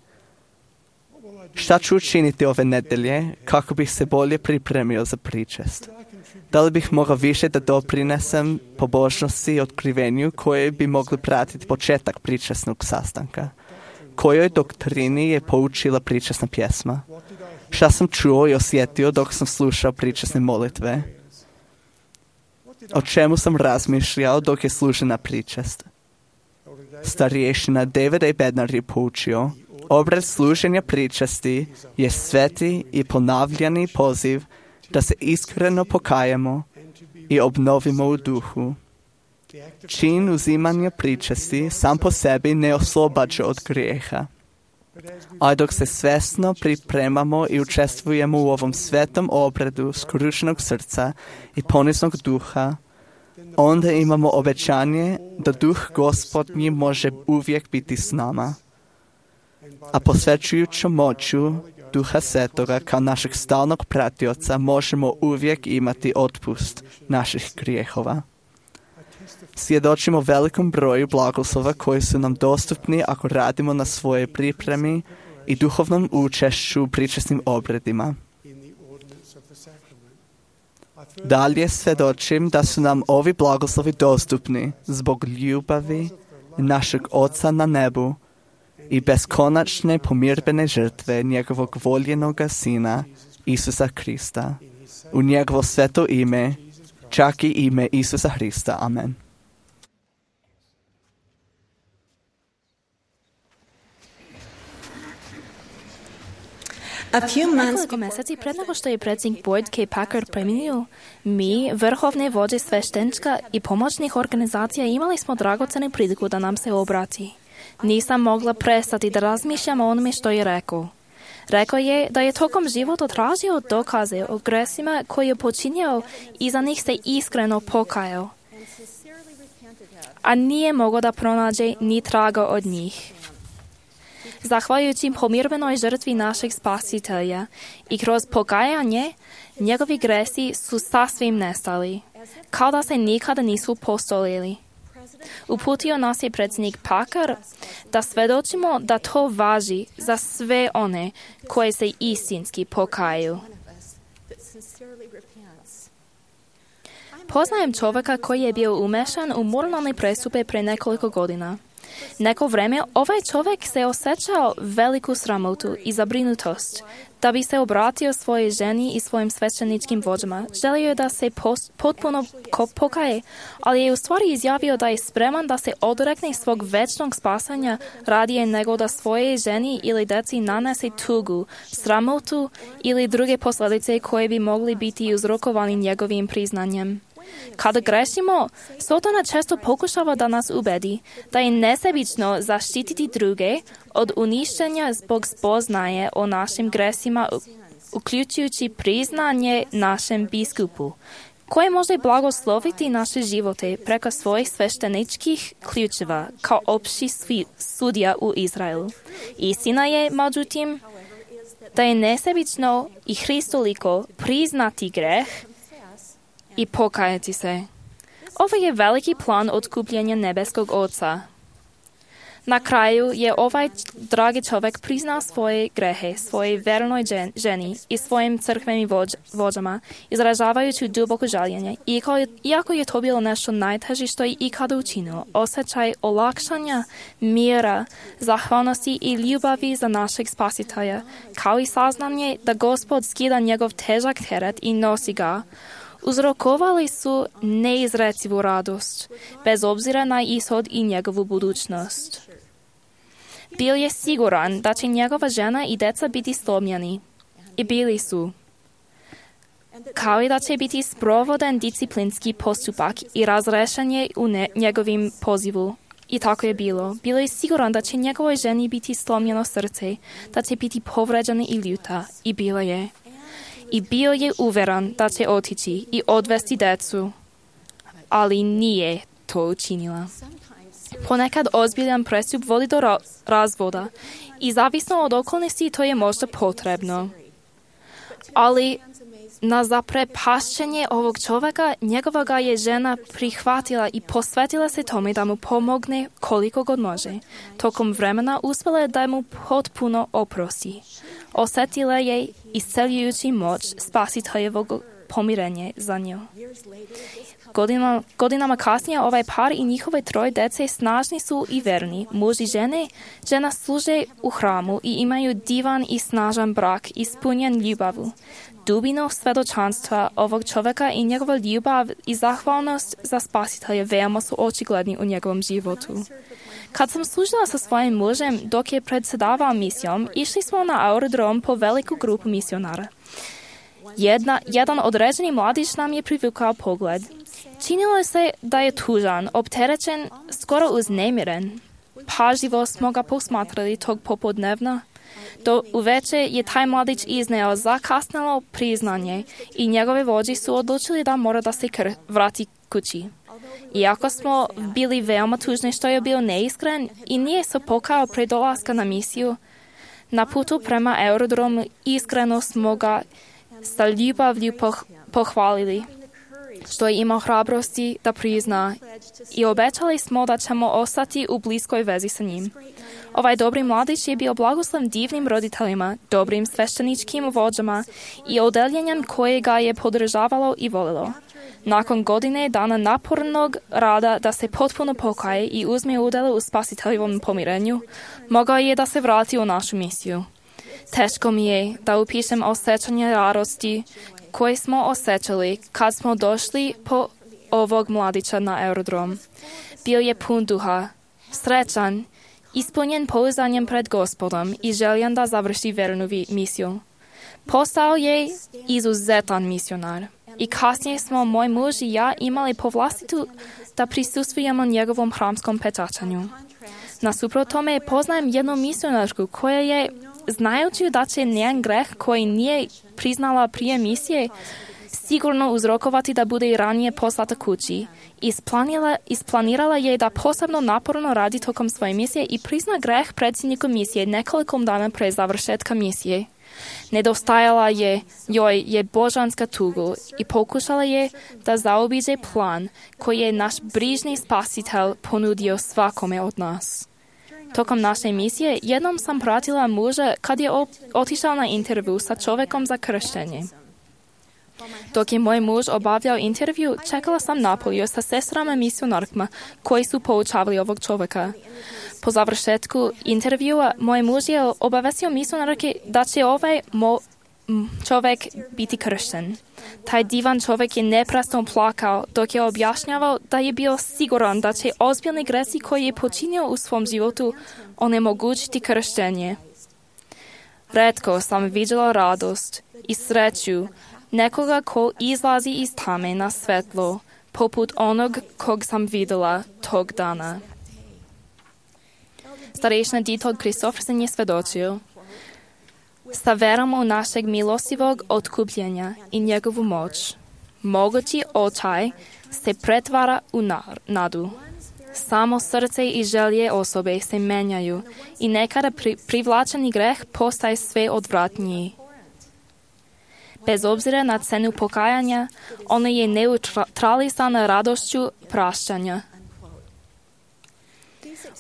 šta ću učiniti ove nedelje kako bih se bolje pripremio za pričest? Da li bih mogao više da doprinesem pobožnosti i otkrivenju koje bi mogli pratiti početak pričesnog sastanka? Kojoj doktrini je poučila pričesna pjesma? Šta sam čuo i osjetio dok sam slušao pričesne molitve? O čemu sam razmišljao dok je služena pričest? Starješina David A. Bednar je poučio: obred služenja pričesti je sveti i ponavljani poziv da se iskreno pokajemo i obnovimo u duhu. Čin uzimanja pričesti sam po sebi ne oslobađa od grijeha. A dok se svjesno pripremamo i učestvujemo u ovom svetom obredu skrušenog srca i poniznog duha, onda imamo obećanje da duh Gospodnji može uvijek biti s nama. A posvećujući moću Duha Svetoga kao našeg stalnog pratioca možemo uvijek imati otpust naših grijehova. Svjedočimo velikom broju blagoslova koji su nam dostupni ako radimo na svojoj pripremi i duhovnom učešću u pričesnim obredima. Dalje svjedočim da su nam ovi blagoslovi dostupni zbog ljubavi našeg Oca na nebu i beskonačne pomirbene žrtve njegovog voljenoga Sina, Isusa Hrista. U njegovo sveto ime, čak i ime Isusa Hrista. Amen. Nekoliko mjeseci pred nego što je predsjednik Boyd K. Packer preminio, mi, vrhovne vođe sveštenstva i pomoćnih organizacija, imali smo dragocenu priliku da nam se obrati. Nisam mogla prestati da razmišljam o onome što je rekao. Rekao je da je tokom života tražio dokaze o gresima koje je počinio i za njih se iskreno pokajao, a nije mogao da pronađe ni traga od njih. Zahvaljujući pomirbenoj žrtvi našeg Spasitelja i kroz pokajanje, njegovi gresi su sasvim nestali, kao da se nikada nisu postojali. Uputio nas je predsjednik Packard da svedočimo da to važi za sve one koje se istinski pokaju. Poznajem čovjeka koji je bio umešan u moralne prestupe pre nekoliko godina. Neko vreme ovaj čovjek se osjećao veliku sramotu i zabrinutost. Da bi se obratio svojoj ženi i svojim svećeničkim vođama, želio je da se potpuno pokaje, ali je u stvari izjavio da je spreman da se odrekne svog večnog spasanja radije nego da svoje ženi ili deci nanese tugu, sramotu ili druge posljedice koje bi mogli biti uzrokovani njegovim priznanjem. Kada grešimo, Sotona često pokušava da nas ubedi da je nesebično zaštititi druge od uništenja zbog spoznaje o našim gresima, uključujući priznanje našem biskupu, koji može blagosloviti naše živote preko svojih svešteničkih ključeva kao opći sudija u Izraelu. Istina je, međutim, da je nesebično i hristoliko priznati greh i pokajati se. Ovo je veliki plan otkupljenja nebeskog Oca. Na kraju je ovaj dragi čovjek priznao svoje grehe, svojoj vernoj ženi i svojim crkvenim vođama, izražavajući duboko žaljenje. Iako je to bilo nešto najteže što je ikada učinilo, osjećaj olakšanja, mira, zahvalnosti i ljubavi za našeg Spasitelja, kao i saznanje da Gospod skida njegov težak teret i nosi ga, uzrokovali su neizrecivu radost, bez obzira na ishod i njegovu budućnost. Bio je siguran da će njegova žena i deca biti slomljeni. I bili su. Kao i da će biti sprovoden disciplinski postupak i razrešenje u njegovim pozivu. I tako je bilo. Bilo je siguran da će njegovoj ženi biti slomljeno srce, da će biti povređena i ljuta. I bila je. I bio je uveren da će otići i odvesti decu, ali nije to učinila. Ponekad ozbiljan prestup vodi do razvoda i zavisno od okolnosti to je možda potrebno. Ali na zaprepašćenje ovog čovjeka njegova ga je žena prihvatila i posvetila se tome da mu pomogne koliko god može. Tokom vremena uspjela je da mu potpuno oprosti. Osjetila je isceljujući moć Spasiteljevog pomirenja za nju. Godinama kasnije ovaj par i njihove troje dece snažni su i verni. Muž i žena služe u hramu i imaju divan i snažan brak ispunjen ljubavu. Dubino svedočanstva ovog čovjeka i njegova ljubav i zahvalnost za Spasitelja veoma su očigledni u njegovom životu. Kad sam služila sa svojim mužem dok je predsjedavao misijom, išli smo na aerodrom po veliku grupu misionara. Jedan određeni mladić nam je privukao pogled. Činilo se da je tužan, opterećen, skoro uznemiren. Pažljivo smo ga posmatrali tog popodnevna. Do uveče je taj mladić izneo zakasnelo priznanje i njegove vođe su odlučili da mora da se vrati kući. Iako smo bili veoma tužni što je bio neiskren i nije se pokajao pre dolaska na misiju, na putu prema aerodromu iskreno smo ga sa ljubavlju pohvalili, što je imao hrabrosti da prizna i obećali smo da ćemo ostati u bliskoj vezi sa njim. Ovaj dobri mladić je bio blagosloven divnim roditeljima, dobrim svešteničkim vođama i odeljenjem koje ga je podržavalo i volilo. Nakon godine dana napornog rada da se potpuno pokaje i uzme udjel u Spasiteljevom pomirenju, mogao je da se vrati u našu misiju. Teško mi je da upišem osjećanje radosti koje smo osjećali kad smo došli po ovog mladića na aerodrom. Bio je pun duha, srećan, ispunjen pouzdanjem pred Gospodom i željan da završi vernu misiju. Postao je izuzetan misionar. I kasnije smo moj muž i ja imali povlastitu da prisustvujemo njegovom hramskom pečaćanju. Nasuprot tome poznajem jednu misionarku koja je знаючи да će njen greh koji nije priznala prije misije, sigurno uzrokovati da bude i ranije poslata kući. Isplanirala je da posebno naporno radi tokom svoje misije i prizna greh predsjedniku misije nekoliko dana pre završetka misije. Nedostajala joj je božanska tugu i pokušala je da zaobiđe plan koji je naš brižni spasitelj ponudio svakome od nas. Tokom naše misije jednom sam pratila muža kad je otišao na intervju sa čovjekom za krštenje. Dok je moj muž obavljao intervju, čekala sam napolju sa sestrama misionarkama koji su poučavali ovog čovjeka. Po završetku intervjua, moj muž je obavestio misionarke da će ovaj čovjek biti kršten. Taj divan čovjek je neprestano plakao dok je objašnjavao da je bio siguran da će ozbiljni gresi koji je počinio u svom životu onemogućiti krštenje. Retko sam vidjela radost i sreću nekoga ko izlazi iz tame na svetlo, poput onog kog sam vidjela tog dana. Starejšina Dieter Christoffersen je svedočio: sa verom u našeg milostivog otkupljenja i njegovu moć, mogući očaj se pretvara u nadu. Samo srce i želje osobe se menjaju i nekada privlačeni greh postaje sve odvratniji. Bez obzira na cenu pokajanja, ono je neutralisana radošću praštanja.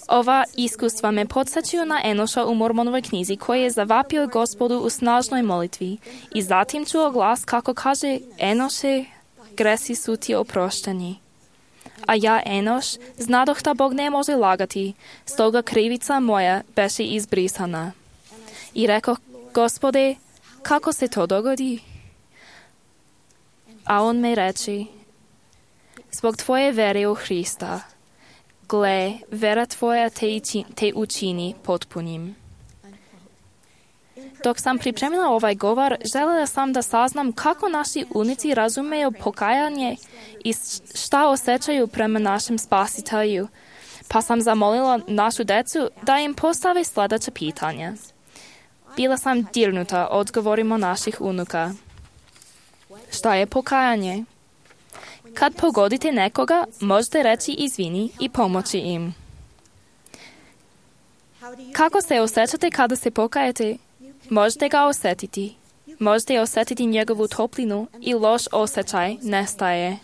Ova iskustva me podsjećaju na Enoša u Mormonovoj knjizi koji je zavapio Gospodu u snažnoj molitvi i zatim čuo glas kako kaže: Enoše, gresi su ti oprošteni. A ja, Enoš, znadoh da Bog ne može lagati, stoga krivica moja beše izbrisana. I rekao: Gospode, kako se to dogodi? A on me reče: zbog tvoje vere u Hrista. Gle, vera tvoja te učini potpunim. Dok sam pripremila ovaj govor, željela sam da saznam kako naši unici razumeju pokajanje i šta osjećaju prema našem spasitelju, pa sam zamolila našu decu da im postave sljedeća pitanja. Bila sam dirnuta odgovorima naših unuka. Šta je pokajanje? Kad pogodite nekoga, možete reći izvini i pomoći im. Kako se osjećate kada se pokajete? Možete ga osjetiti. Možete osjetiti njegovu toplinu i loš osjećaj nestaje.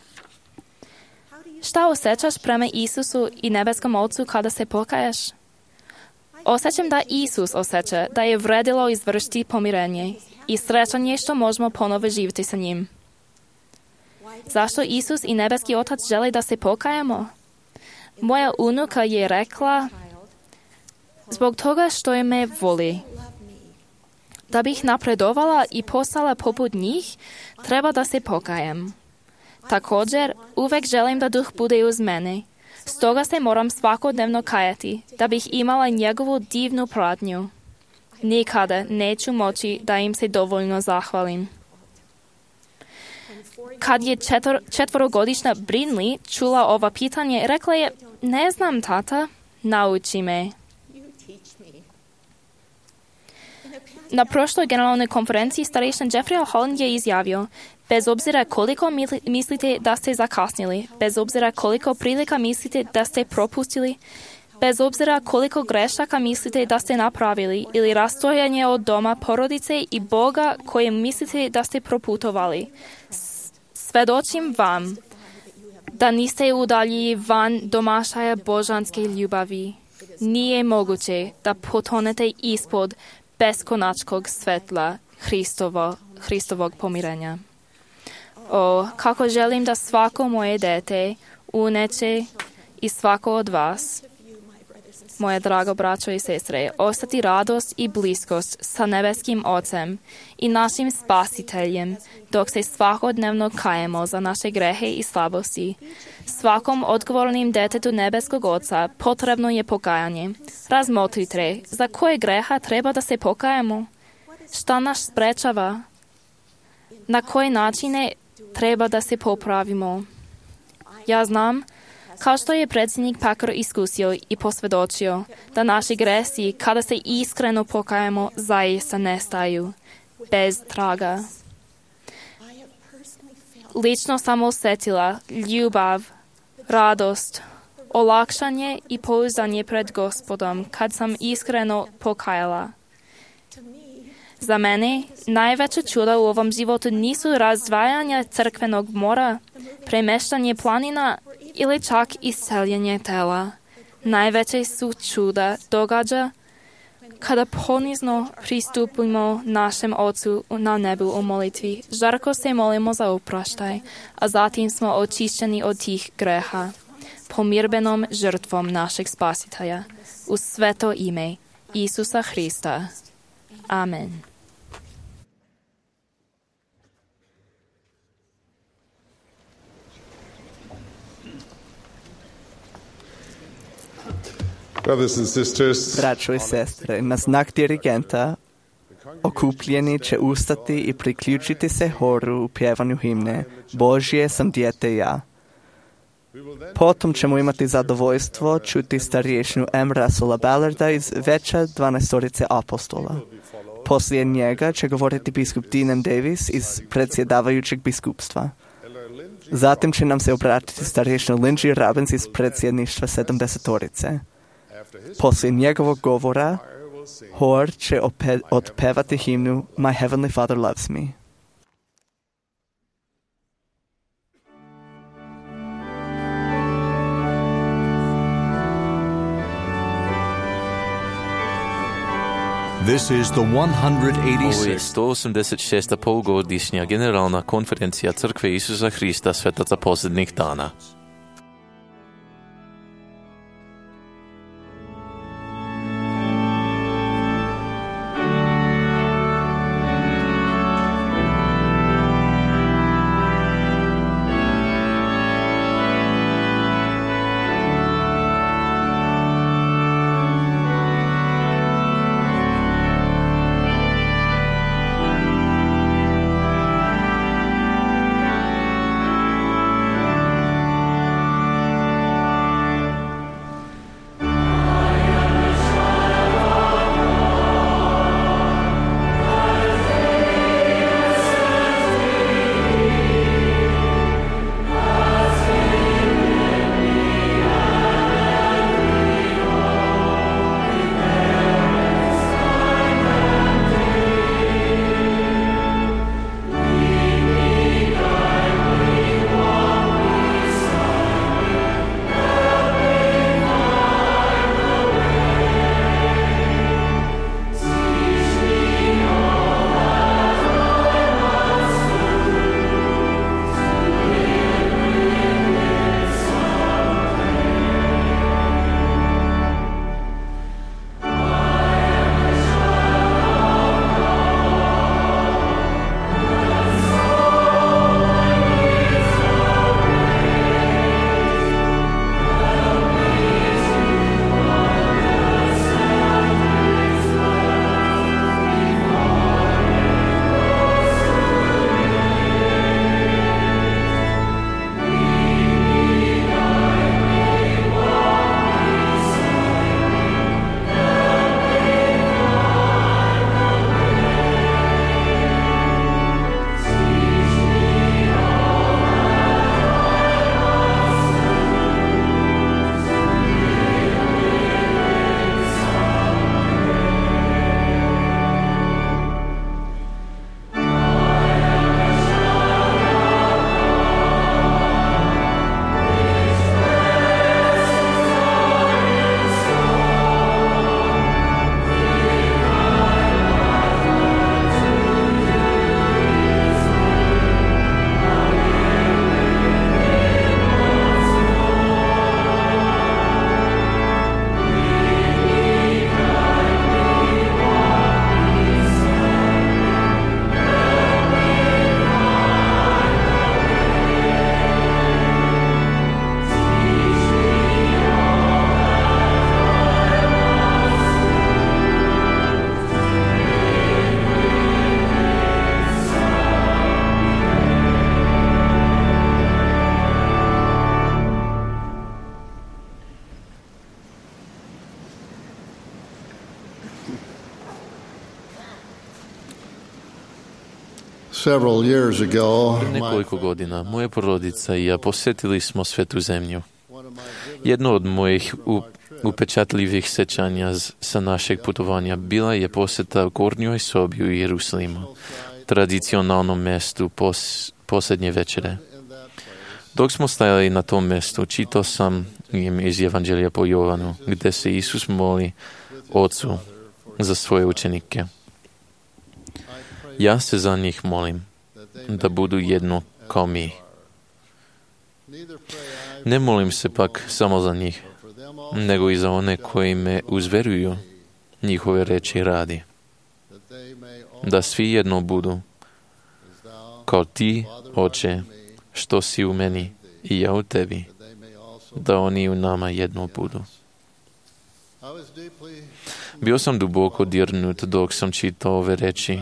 Šta osjećaš prema Isusu i nebeskom Ocu kada se pokaješ? Osjećam da Isus osjeća da je vredilo izvršiti pomirenje i srećan je što možemo ponovo živjeti sa njim. Zašto Isus i nebeski Otac žele da se pokajemo? Moja unuka je rekla: zbog toga što je me voli. Da bih napredovala i postala poput njih, treba da se pokajem. Također, uvek želim da Duh bude uz mene. Stoga se moram svakodnevno kajati, da bih imala njegovu divnu pratnju. Nikada neću moći da im se dovoljno zahvalim. Kad je četvorogodišnja Brinley čula ova pitanje, rekla je: ne znam, tata, nauči me. Na prošloj generalnoj konferenciji starejšina Jeffrey Holland je izjavio: bez obzira koliko mislite da ste zakasnili, bez obzira koliko prilika mislite da ste propustili, bez obzira koliko grešaka mislite da ste napravili ili rastojanje od doma, porodice i Boga koje mislite da ste proputovali, svedočim vam da niste udalji van domašaja božanske ljubavi. Nije moguće da potonete ispod beskonačkog svetla Hristovog pomirenja. O, kako želim da svako moje dete, uneće i svako od vas, moje drago braćo i sestre, ostati radost i bliskost sa nebeskim Ocem i našim Spasiteljem, dok se svakodnevno kajemo za naše grehe i slabosti. Svakom odgovornim detetu nebeskog Oca potrebno je pokajanje. Razmotrite, za koje greha treba da se pokajemo? Šta nas sprečava? Na koje načine treba da se popravimo? Ja znam Kao što je predsjednik Pakar iskusio i posvjedočio da naši gresi, kada se iskreno pokajemo, zaista nestaju, bez traga. Lično sam osjetila ljubav, radost, olakšanje i pouzdanje pred Gospodom kad sam iskreno pokajala. Za mene najveća čuda u ovom životu nisu razdvajanje crkvenog mora, premeštanje planina ili čak isceljenje tela. Najveće su čuda događa kada ponizno pristupimo našem Ocu na nebu u molitvi. Žarko se molimo za oproštaj, a zatim smo očišćeni od tih greha pomirbenom žrtvom našeg Spasitelja. U sveto ime Isusa Hrista. Amen. Brothers and sisters, Braćo i sestre, na znak dirigenta okupljeni će ustati i priključiti se horu u pjevanju himne Božje sam dijete ja. Potom ćemo imati zadovoljstvo čuti starješnu M. Russella Ballarda iz Veća 12 apostola. Poslije njega će govoriti biskup Dean Davis iz predsjedavajućeg biskupstva. Zatim će nam se obratiti starješna Lindsay Robbins iz predsjedništva 70-orice. Poslije njegovog govora, hor će otpevati himnu My Heavenly Father Loves Me. This is the Ovo je 186th 186. polugodišnja generalna konferencija Crkve Isusa Hrista svetaca posljednjih dana. Several years ago, Prije nekoliko godina moja porodica i ja posjetili smo Svetu zemlju. Jedno od mojih upečatljivih sećanja sa našeg putovanja bila je posjeta gornjoj sobi u Jerusalimu, tradicionalnom mjestu posljednje večere. Dok smo stajali na tom mjestu, čitao sam im iz Evanđelja po Jovanu, gdje se Isus moli Ocu za svoje učenike. Ja se za njih molim, da budu jedno kao mi. Ne molim se pak samo za njih, nego i za one koji me uzveruju njihove reči radi. Da svi jedno budu, kao ti, Oče, što si u meni i ja u tebi, da oni u nama jedno budu. Bio sam duboko dirnut dok sam čitao ove reči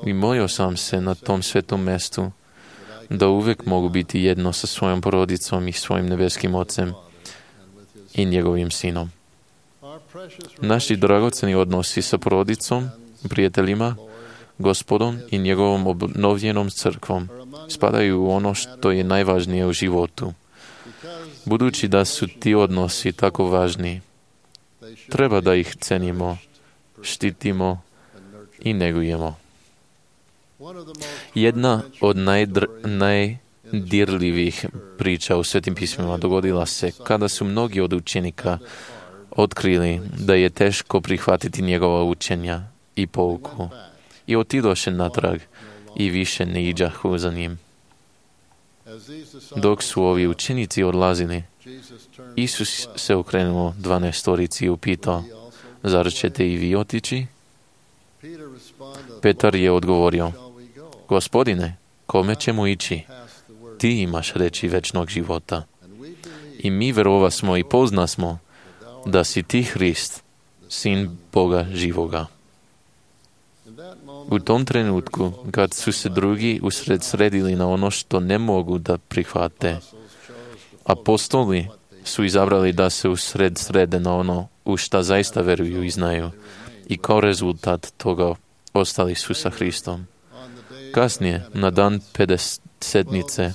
i molio sam se na tom svetom mjestu da uvijek mogu biti jedno sa svojom porodicom i svojim nebeskim Ocem i njegovim Sinom. Naši dragoceni odnosi sa porodicom, prijateljima, Gospodom i njegovom obnovljenom crkvom spadaju u ono što je najvažnije u životu. Budući da su ti odnosi tako važni, treba da ih cenimo, štitimo i negujemo. Jedna od najdirljivih priča u Svetim pismima dogodila se kada su mnogi od učenika otkrili da je teško prihvatiti njegova učenja i pouku i otidoše natrag i više ne iđahu za njim. Dok su ovi učenici odlazili, Isus se okrenuo 12 i upitao, zar ćete i vi otići? Petar je odgovorio, Gospodine, kome ćemo ići? Ti imaš reči večnog života. I mi verovasmo i poznasmo da si ti Hrist, Sin Boga živoga. U tom trenutku, kad su se drugi usredsredili na ono što ne mogu da prihvate, apostoli su izabrali da se srede na ono u šta zaista veruju i znaju i kao rezultat toga ostali su sa Hristom. Kasnije, na dan Pedesetnice,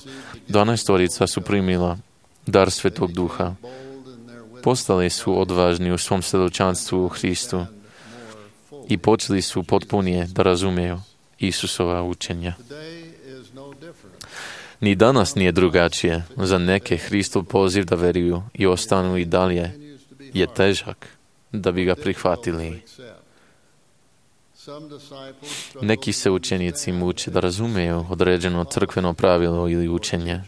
12 su primila dar Svetog Duha. Postali su odvažni u svom svjedočanstvu u Hristu i počeli su potpunije da razumiju Isusova učenja. Ni danas nije drugačije. Za neke Hristov poziv da veruju i ostanu i dalje je težak da bi ga prihvatili. Neki se učenici muče da razumiju određeno crkveno pravilo ili učenje.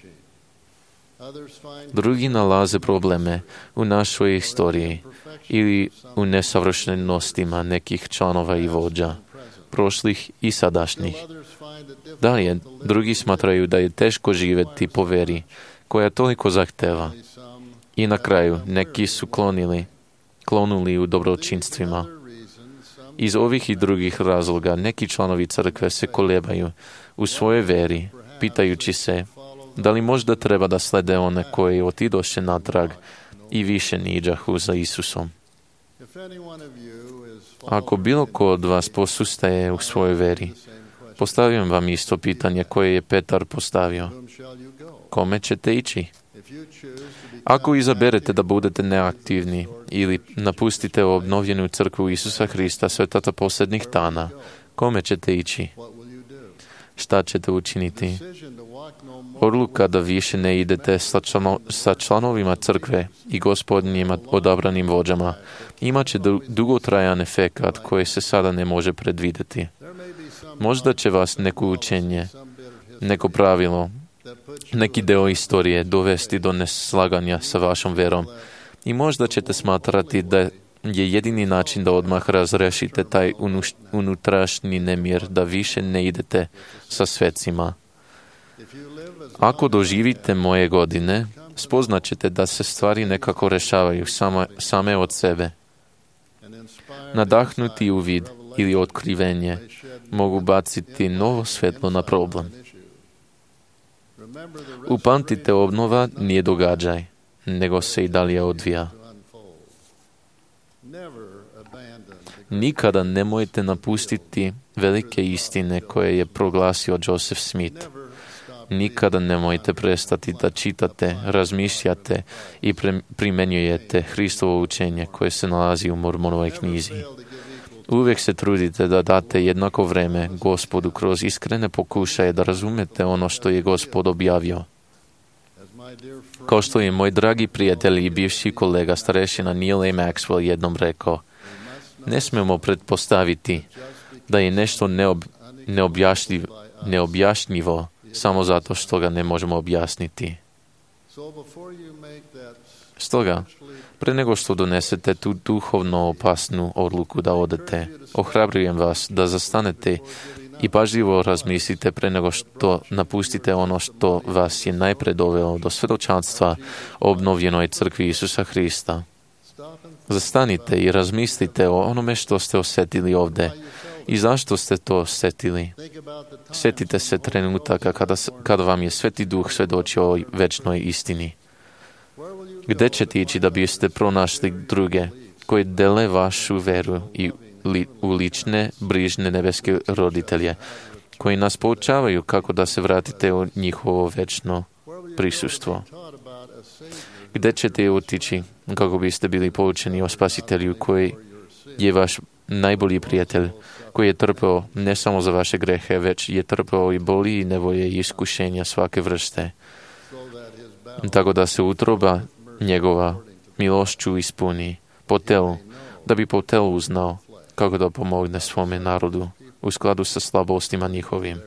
Drugi nalaze probleme u našoj istoriji ili u nesavršenostima nekih članova i vođa, prošlih i sadašnjih. Dalje, drugi smatraju da je teško živjeti po veri, koja toliko zahteva. I na kraju, neki su klonuli u dobročinstvima. Iz ovih i drugih razloga neki članovi crkve se kolebaju u svojoj veri, pitajući se da li možda treba da slede one koji otidoše natrag i više niđahu za Isusom. Ako bilo ko od vas posustaje u svojoj veri, postavim vam isto pitanje koje je Petar postavio. Kome ćete ići? Ako izaberete da budete neaktivni ili napustite obnovljenu crkvu Isusa Hrista svetata posljednjih dana, kome ćete ići? Šta ćete učiniti? Odluka da više ne idete sa članovima crkve i gospodnjima odabranim vođama imat će dugotrajan efekat koji se sada ne može predvidjeti. Možda će vas neko učenje, neko pravilo, neki deo istorije dovesti do neslaganja sa vašom verom i možda ćete smatrati da je jedini način da odmah razrešite taj unutrašnji nemir, da više ne idete sa svecima. Ako doživite moje godine, spoznat ćete da se stvari nekako rešavaju same od sebe. Nadahnuti uvid ili otkrivenje mogu baciti novo svetlo na problem. Upamtite, obnova nije događaj, nego se i dalje odvija. Nikada nemojte napustiti velike istine koje je proglasio Joseph Smith. Nikada nemojte prestati da čitate, razmišljate i primenjujete Hristovo učenje koje se nalazi u Mormonovoj knjizi. Uvijek se trudite da date jednako vreme Gospodu kroz iskrene pokušaje da razumete ono što je Gospod objavio. Kao što je moj dragi prijatelj i bivši kolega starešina Neil A. Maxwell jednom rekao, ne smemo pretpostaviti da je nešto neobjašnjivo samo zato što ga ne možemo objasniti. Stoga, pre nego što donesete tu duhovno opasnu odluku da odete, ohrabrujem vas da zastanete i pažljivo razmislite pre nego što napustite ono što vas je najpre dovelo do svjedočanstva o obnovljenoj crkvi Isusa Hrista. Zastanite i razmislite o onome što ste osjetili ovdje i zašto ste to osjetili. Sjetite se trenutaka kada vam je Sveti Duh svjedočio o večnoj istini. Gde ćete ići da biste pronašli druge koji dele vašu veru i u lične, brižne nebeske roditelje, koji nas poučavaju kako da se vratite u njihovo večno prisustvo? Gde ćete otići kako biste bili poučeni o Spasitelju koji je vaš najbolji prijatelj, koji je trpeo ne samo za vaše grehe, već je trpeo i boli i nevolje i iskušenja svake vrste, tako da se utroba njegova milošću ispuni po telu, da bi po telu uznao kako da pomogne svome narodu u skladu sa slabostima njihovim,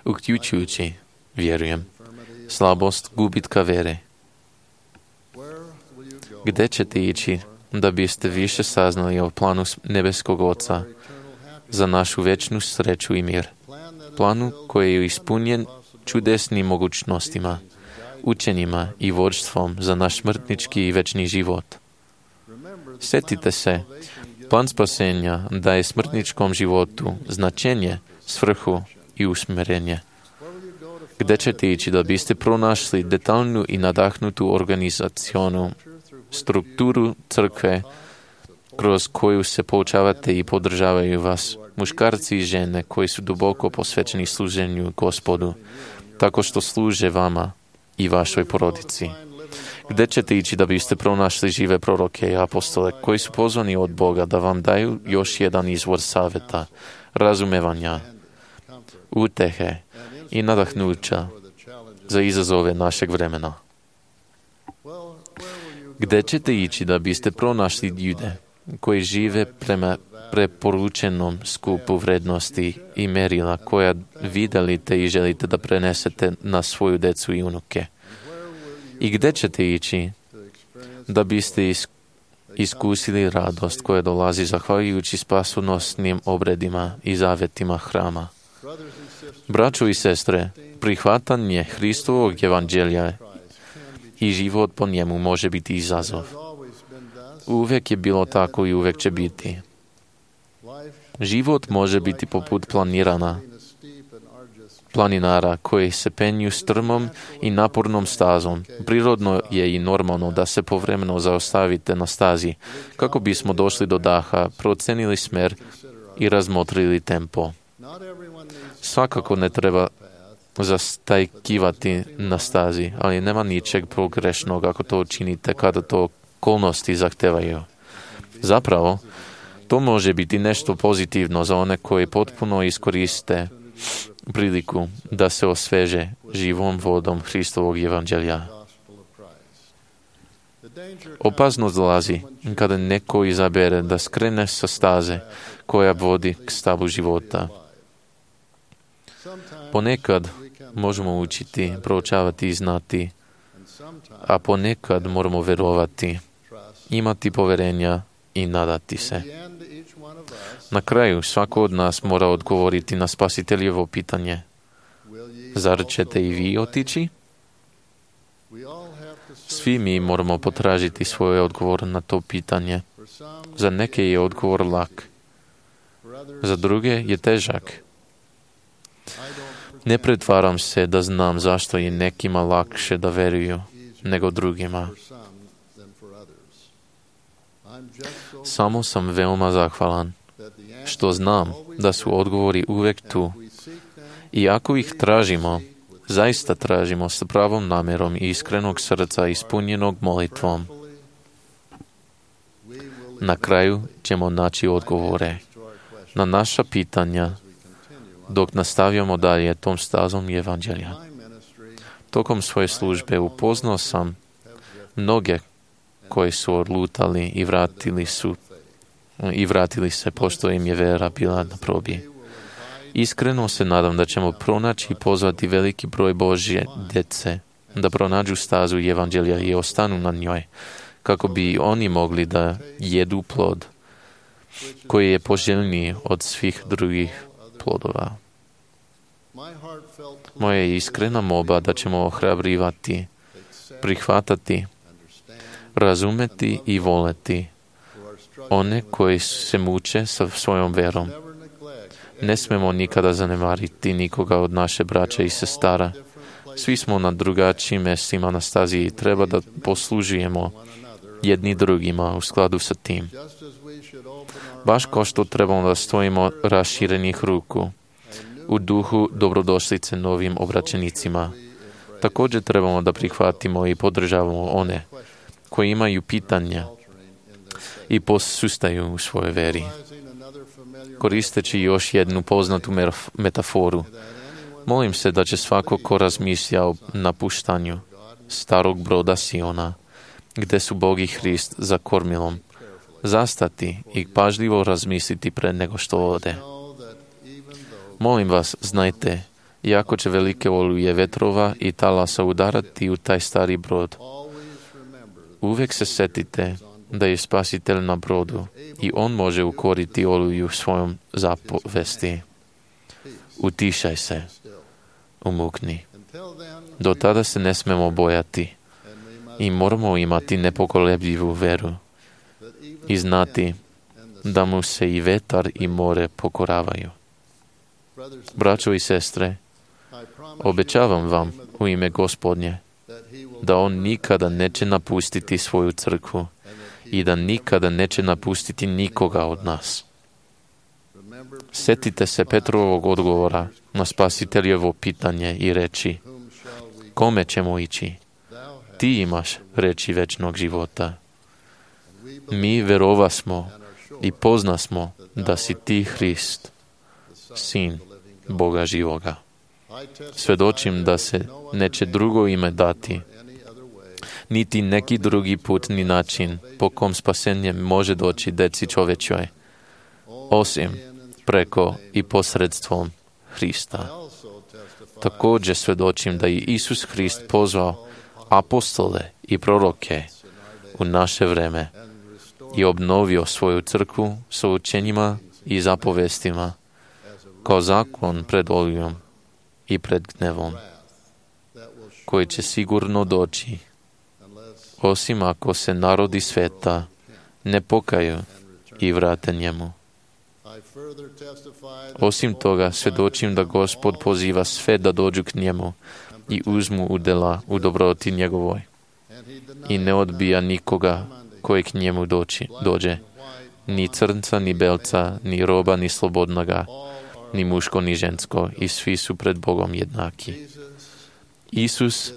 uključujući, vjerujem, slabost gubitka vere. Gde ćete ići da biste više saznali o planu nebeskog Oca za našu večnu sreću i mir? Planu koji je ispunjen čudesnim mogućnostima, učenjima i vođstvom za naš smrtnički i večni život. Sjetite se, plan spasenja daje smrtničkom životu značenje, svrhu i usmjerenje. Gde ćete ići da biste pronašli detaljnu i nadahnutu organizacionu strukturu crkve kroz koju se poučavate i podržavaju vas muškarci i žene koji su duboko posvećeni služenju Gospodu, tako što služe vama i vašoj porodici? Gde ćete ići da biste pronašli žive proroke i apostole koji su pozvani od Boga da vam daju još jedan izvor savjeta, razumevanja, utehe i nadahnuća za izazove našeg vremena? Gde ćete ići da biste pronašli ljude koji žive prema preporučenom skupu vrednosti i merila koja vi delite i želite da prenesete na svoju decu i unuke? I gde ćete ići da biste iskusili radost koja dolazi zahvaljujući spasonosnim obredima i zavjetima hrama? Braćo i sestre, prihvatanje Hristovog evanđelja i život po njemu može biti izazov. Uvijek je bilo tako i uvijek će biti. Život može biti poput planinara koji se penju strmom i napornom stazom. Prirodno je i normalno da se povremeno zaustavite na stazi kako bismo došli do daha, procenili smer i razmotrili tempo. Svakako ne treba zastajkivati na stazi, ali nema ničeg pogrešnog ako to učinite kada to okolnosti zahtevaju. Zapravo, to može biti nešto pozitivno za one koji potpuno iskoriste priliku da se osveže živom vodom Hristovog evanđelja. Opasnost dolazi kada neko izabere da skrene sa staze koja vodi k stavu života. Ponekad možemo učiti, proučavati i znati, a ponekad moramo verovati, imati poverenja i nadati se. Na kraju svako od nas mora odgovoriti na Spasiteljevo pitanje. Zar ćete i vi otići? Svi mi moramo potražiti svoj odgovor na to pitanje. Za neke je odgovor lak, za druge je težak. Ne pretvaram se da znam zašto je nekima lakše da veruju nego drugima. Samo sam veoma zahvalan što znam da su odgovori uvek tu. I ako ih tražimo, zaista tražimo s pravom namjerom i iskrenog srca ispunjenog molitvom, na kraju ćemo naći odgovore na naša pitanja dok nastavljamo dalje tom stazom evanđelja. Tokom svoje službe upoznao sam mnoge koji su odlutali i vratili se pošto im je vera bila na probi. Iskreno se nadam da ćemo pronaći i pozvati veliki broj Božje djece da pronađu stazu evanđelja i ostanu na njoj, kako bi oni mogli da jedu plod koji je poželjniji od svih drugih plodova. Moja je iskrena molba da ćemo ohrabrivati, prihvatati, razumeti i voleti one koji se muče sa svojom verom. Ne smemo nikada zanemariti nikoga od naše braće i sestara. Svi smo na drugačijim mjestima na stazi i treba da poslužujemo jedni drugima u skladu sa tim. Baš kao što trebamo da stojimo raširenih ruku u duhu dobrodošlice novim obraćenicima. Također trebamo da prihvatimo i podržavamo one koji imaju pitanja i posustaju u svojoj veri. Koristeći još jednu poznatu metaforu, molim se da će svako ko razmišlja o napuštanju starog broda Siona, gdje su Bog i Hrist za kormilom, zastati i pažljivo razmisliti pre nego što ode. Molim vas, znajte, iako će velike oluje vetrova i talasa udarati u taj stari brod, uvijek se setite da je Spasitelj na brodu i on može ukoriti oluju svojom zapovesti. Utišaj se, umukni. Do tada se ne smemo bojati i moramo imati nepokolebljivu veru i znati da mu se i vetar i more pokoravaju. Braćo i sestre, obećavam vam u ime Gospodnje da on nikada neće napustiti svoju crkvu i da nikada neće napustiti nikoga od nas. Setite se Petrovog odgovora na Spasiteljevo pitanje i reći: kome ćemo ići? Ti imaš reči večnog života. Mi verovasmo i poznasmo da si ti Hrist, Sin Boga živoga. Svedočim da se neće drugo ime dati, niti neki drugi put ni način po kom spasenje može doći deci čovečoj, osim preko i posredstvom Hrista. Također svedočim da je Isus Hrist pozvao apostole i proroke u naše vreme i obnovio svoju crkvu sa učenjima i zapovestima kao zakon pred olujom i pred gnevom, koji će sigurno doći, osim ako se narodi sveta ne pokaju i vrate njemu. Osim toga, svjedočim da Gospod poziva sve da dođu k njemu i uzmu udjela u dobroti njegovoj i ne odbija nikoga koji k njemu dođe, ni crnca, ni belca, ni roba, ni slobodnoga, ni muško, ni žensko, i svi su pred Bogom jednaki. Isus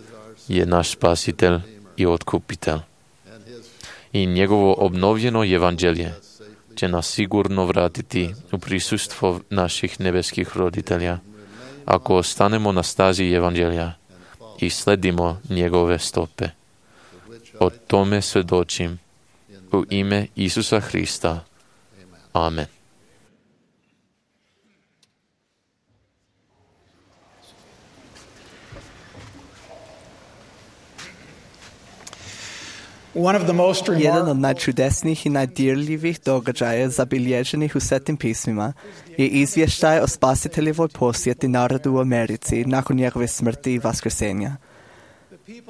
je naš spasitelj i otkupitelj. I njegovo obnovljeno evanđelje će nas sigurno vratiti u prisustvo naših nebeskih roditelja, ako ostanemo na stazi evanđelja i sledimo njegove stope. O tome svjedočim u ime Isusa Hrista. Amen. Jedan od najčudesnijih i najdirljivih događaja zabilježenih u Svetim pismima je izvještaj o Spasiteljevoj posjeti narodu u Americi nakon njegove smrti i vaskrsenja.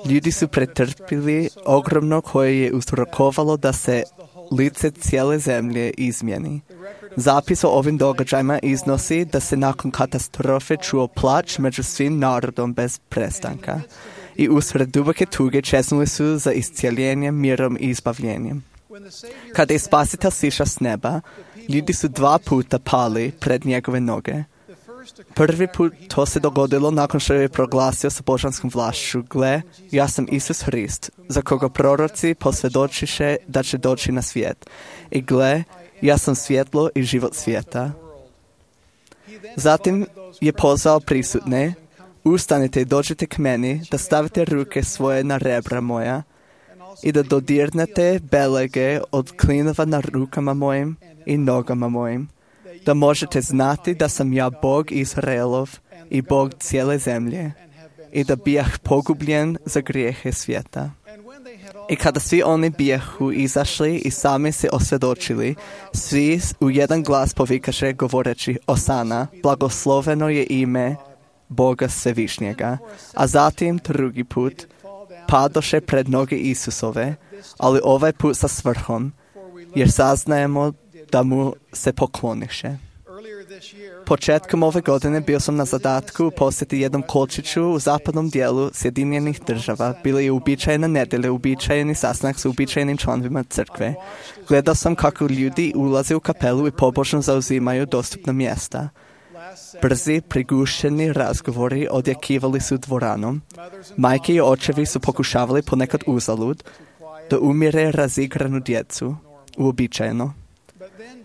Ljudi su pretrpili ogromno koje je uzrokovalo da se lice cijele zemlje izmijeni. Zapis o ovim događajima iznosi da se nakon katastrofe čuo plač među svim narodom bez prestanka i usred duboke tuge čeznuli su za iscijeljenjem, mirom i izbavljenjem. Kada je Spasitelj sišao s neba, ljudi su 2 puta pali pred njegove noge. Prvi put to se dogodilo nakon što je proglasio sa božanskom vlašću: gle, ja sam Isus Hrist, za koga proroci posvjedočiše da će doći na svijet. I gle, ja sam svjetlo i život svijeta. Zatim je pozvao prisutne: ustanite i dođite k meni, da stavite ruke svoje na rebra moja i da dodirnete belege od klinova na rukama mojim i nogama mojim, da možete znati da sam ja Bog Izraelov i Bog cijele zemlje i da bijah pogubljen za grijehe svijeta. I kada svi oni bijahu izašli i sami se osvjedočili, svi u jedan glas povikaše govoreći: Osana, blagosloveno je ime Boga Svevišnjega. A zatim drugi put padoše pred noge Isusove, ali ovaj put sa svrhom, jer saznajemo da mu se pokloniše. Početkom ove godine bio sam na zadatku posjeti jednom kolčiću u zapadnom dijelu Sjedinjenih Država. Bila je uobičajena nedjelja, uobičajeni sastanak s uobičajenim članovima crkve. Gledao sam kako ljudi ulaze u kapelu i pobožno zauzimaju dostupna mjesta. Brzi, prigušeni razgovori odjekivali su dvoranom. Majke i očevi su pokušavali ponekad uzalud da umire razigranu djecu, uobičajeno.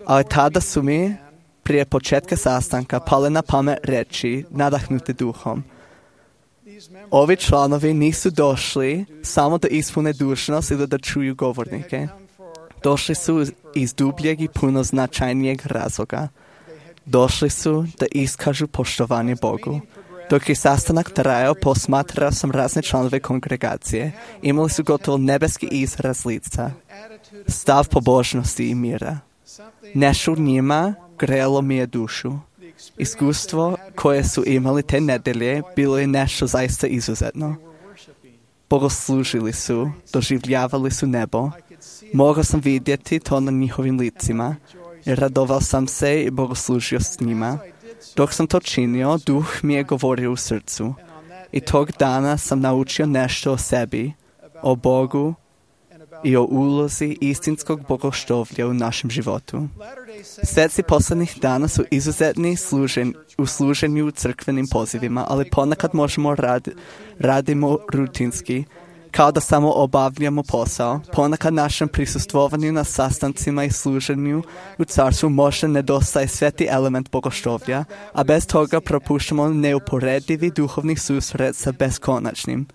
Ali tada su mi prije početka sastanka pale na pamet reći, nadahnuti duhom: ovi članovi nisu došli samo da ispune dužnost ili da čuju govornike. Došli su iz dubljeg i puno značajnijeg razloga. Došli su da iskažu poštovanje Bogu. Dok je sastanak trajao, posmatrao sam razne članove kongregacije. Imali su gotovo nebeski izraz lica, stav pobožnosti i mira. Nešto u njima grelo mi je dušu. Iskustvo koje su imali te nedelje bilo je nešto zaista izuzetno. Bogoslužili su, doživljavali su nebo. Mogao sam vidjeti to na njihovim licima. Radovao sam se i bogoslužio s njima. Dok sam to činio, duh mi je govorio u srcu. I tog dana sam naučio nešto o sebi, o Bogu i o ulozi istinskog bogoštovlja u našem životu. Sveci posljednjih dana su izuzetni u služenju crkvenim pozivima, ali ponekad možemo radimo rutinski, kao da samo obavljamo posao. Ponekad našem prisustvovanju na sastancima i služenju u carstvu možda nedostaje sveti element bogoštovlja, a bez toga propuštamo neuporedivi duhovni susret sa beskonačnim,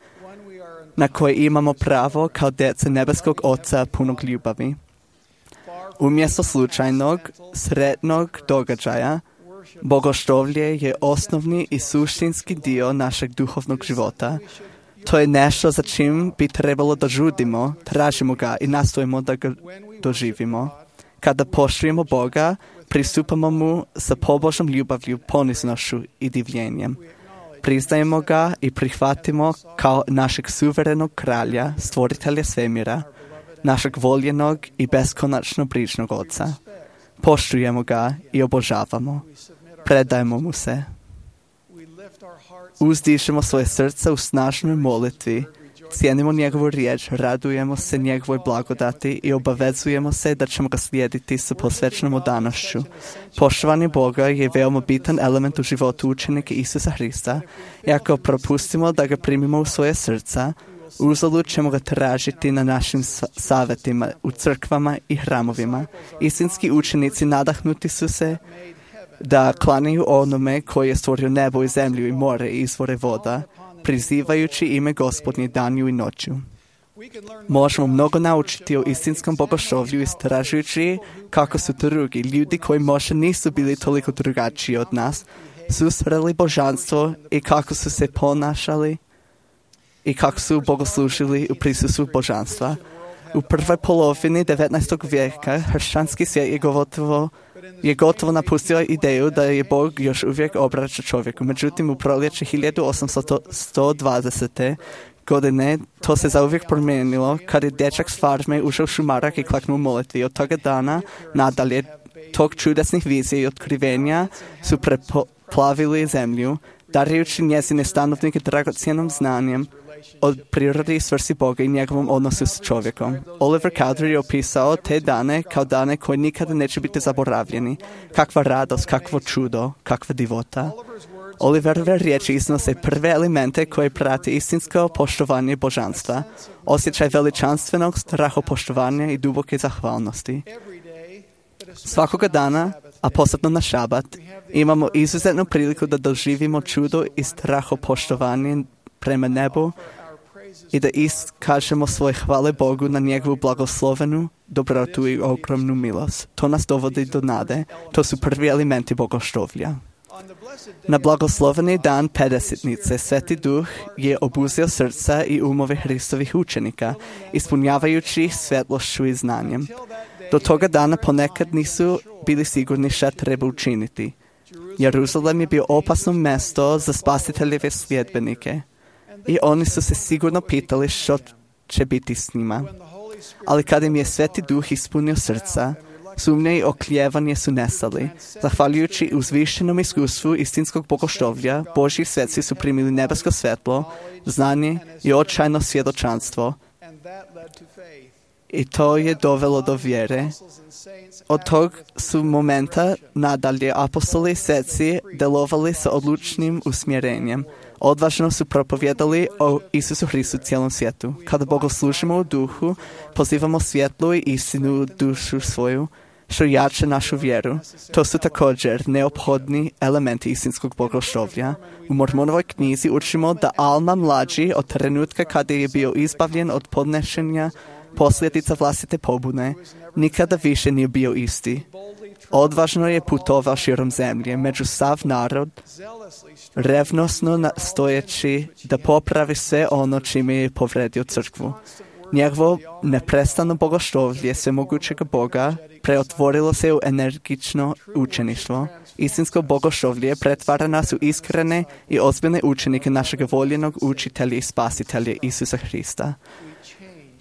na koji imamo pravo kao djeca nebeskog Oca punog ljubavi. Umjesto slučajnog, sretnog događaja, bogoštovlje je osnovni i suštinski dio našeg duhovnog života. To je nešto za čim bi trebalo da žudimo, tražimo ga i nastojimo da ga doživimo. Kada poštujemo Boga, pristupamo mu sa pobožnom ljubavlju, poniznošću i divljenjem. Priznajemo ga i prihvatimo kao našeg suverenog kralja, stvoritelja svemira, našeg voljenog i beskonačno brižnog Oca. Poštujemo ga i obožavamo. Predajemo mu se. Uzdišemo svoje srca u snažnoj molitvi, cijenimo njegovu riječ, radujemo se njegovoj blagodati i obavezujemo se da ćemo ga slijediti sa posvećenom odanošću. Poštovanje Boga je veoma bitan element u životu učenika Isusa Hrista i ako propustimo da ga primimo u svoje srca, uzalud ćemo ga tražiti na našim savjetima, u crkvama i hramovima. Istinski učenici nadahnuti su se da klanjaju onome koji je stvorio nebo i zemlju i more i izvore voda, prizivajući ime Gospodnje danju i noću. Možemo mnogo naučiti o istinskom bogoštovlju istražujući kako su drugi ljudi koji možda nisu bili toliko drugačiji od nas, susreli božanstvo i kako su se ponašali i kako su bogoslužili u prisustvu božanstva. U prvoj polovini 19. vijeka hršćanski svijet je gotovo napustio ideju da je Bog još uvijek obraća čovjeku. Međutim, u proljeće 1820. godine to se zauvijek promijenilo kad je dječak s farme ušao u šumarak i klaknuo molitvi. Od toga dana nadalje tog čudesnih vizija i otkrivenja su preplavili zemlju, darujući njezine stanovnike dragocjenom znanjem od prirode i svrsi Boga i njegovom odnosu s čovjekom. Oliver Cowdery je opisao te dane kao dane koji nikada neće biti zaboravljeni. Kakva radost, kakvo čudo, kakva divota. Oliverove riječi iznose prve elemente koje prate istinsko poštovanje božanstva, osjećaj veličanstvenog strahopoštovanja i duboke zahvalnosti. Svakoga dana, a posebno na šabat, imamo izuzetnu priliku da doživimo čudo i strahopoštovanje prema nebu i da iskažemo svoje hvale Bogu na njegovu blagoslovenu dobrotu i ogromnu milost. To nas dovodi do nade. To su prvi elementi bogoštovlja. Na blagosloveni dan Pedesetnice Sveti Duh je obuzeo srca i umove Hristovih učenika, ispunjavajući ih svjetlošću i znanjem. Do toga dana ponekad nisu bili sigurni šta treba učiniti. Jeruzalem je bio opasno mjesto za spasiteljeve sljedbenike i oni su se sigurno pitali što će biti s njima. Ali kada im je Sveti Duh ispunio srca, sumnje i oklijevanje su nestali. Zahvaljujući uzvišenom iskustvu istinskog bogoštovlja, Božji sveci su primili nebesko svjetlo, znanje i očajno svjedočanstvo. I to je dovelo do vjere. Od tog su momenta nadalje apostoli i sveci delovali sa odlučnim usmjerenjem. Odvažno su propovjedali o Isusu Hristu cijelom svijetu. Kada bogoslužimo u duhu, pozivamo svjetlu i istinu u dušu svoju, što jače našu vjeru. To su također neophodni elementi istinskog bogoštovlja. U Mormonovoj knjizi učimo da Alma mlađi od trenutka kada je bio izbavljen od podnešenja posljedica vlastite pobune, nikada više nije bio isti. Odvažno je putovao širom zemlje, među sav narod, revnosno nastojeći da popravi sve ono čime je povredio crkvu. Njegovo neprestano bogoštovlje svemogućeg Boga preotvorilo se u energično učeništvo. Istinsko bogoštovlje pretvara nas u iskrene i ozbiljne učenike našeg voljenog učitelja i spasitelja Isusa Hrista.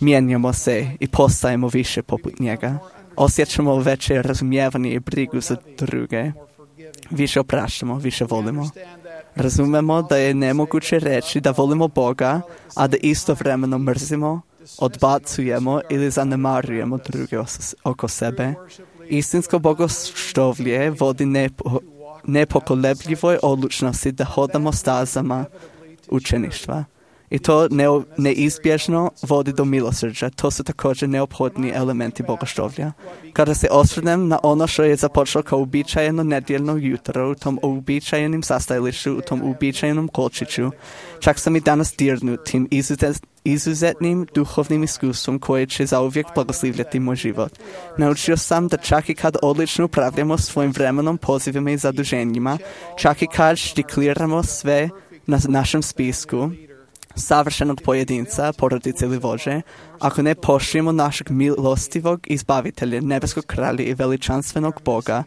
Mijenjamo se i postajemo više poput njega. Osjećamo veće razumijevanje i brigu za druge. Više opraštamo, više volimo. Razumemo da je nemoguće reći da volimo Boga, a da istovremeno mrzimo, odbacujemo ili zanemarujemo druge oko sebe. Istinsko bogoštovlje vodi nepokolebljivoj odlučnosti da hodamo stazama učeništva. I to neizbježno vodi do milosrđa. To su također neophodni elementi bogoštovlja. Kada se osvrnem na ono što je započelo kao uobičajeno nedjeljno jutro, u tom uobičajenim sastajalištu, u tom uobičajenom kolčiću, čak sam i danas dirnut tim izuzetnim duhovnim iskustvom koje će zauvijek blagoslivljati moj život. Naučio sam da čak i kad odlično upravljamo svojim vremenom, pozivima i zaduženjima, čak i kad štikliramo sve na našem spisku, savršenog pojedinca, porodice ili vođe, ako ne poštujemo našeg milostivog izbavitelja, nebeskog kralja i veličanstvenog Boga,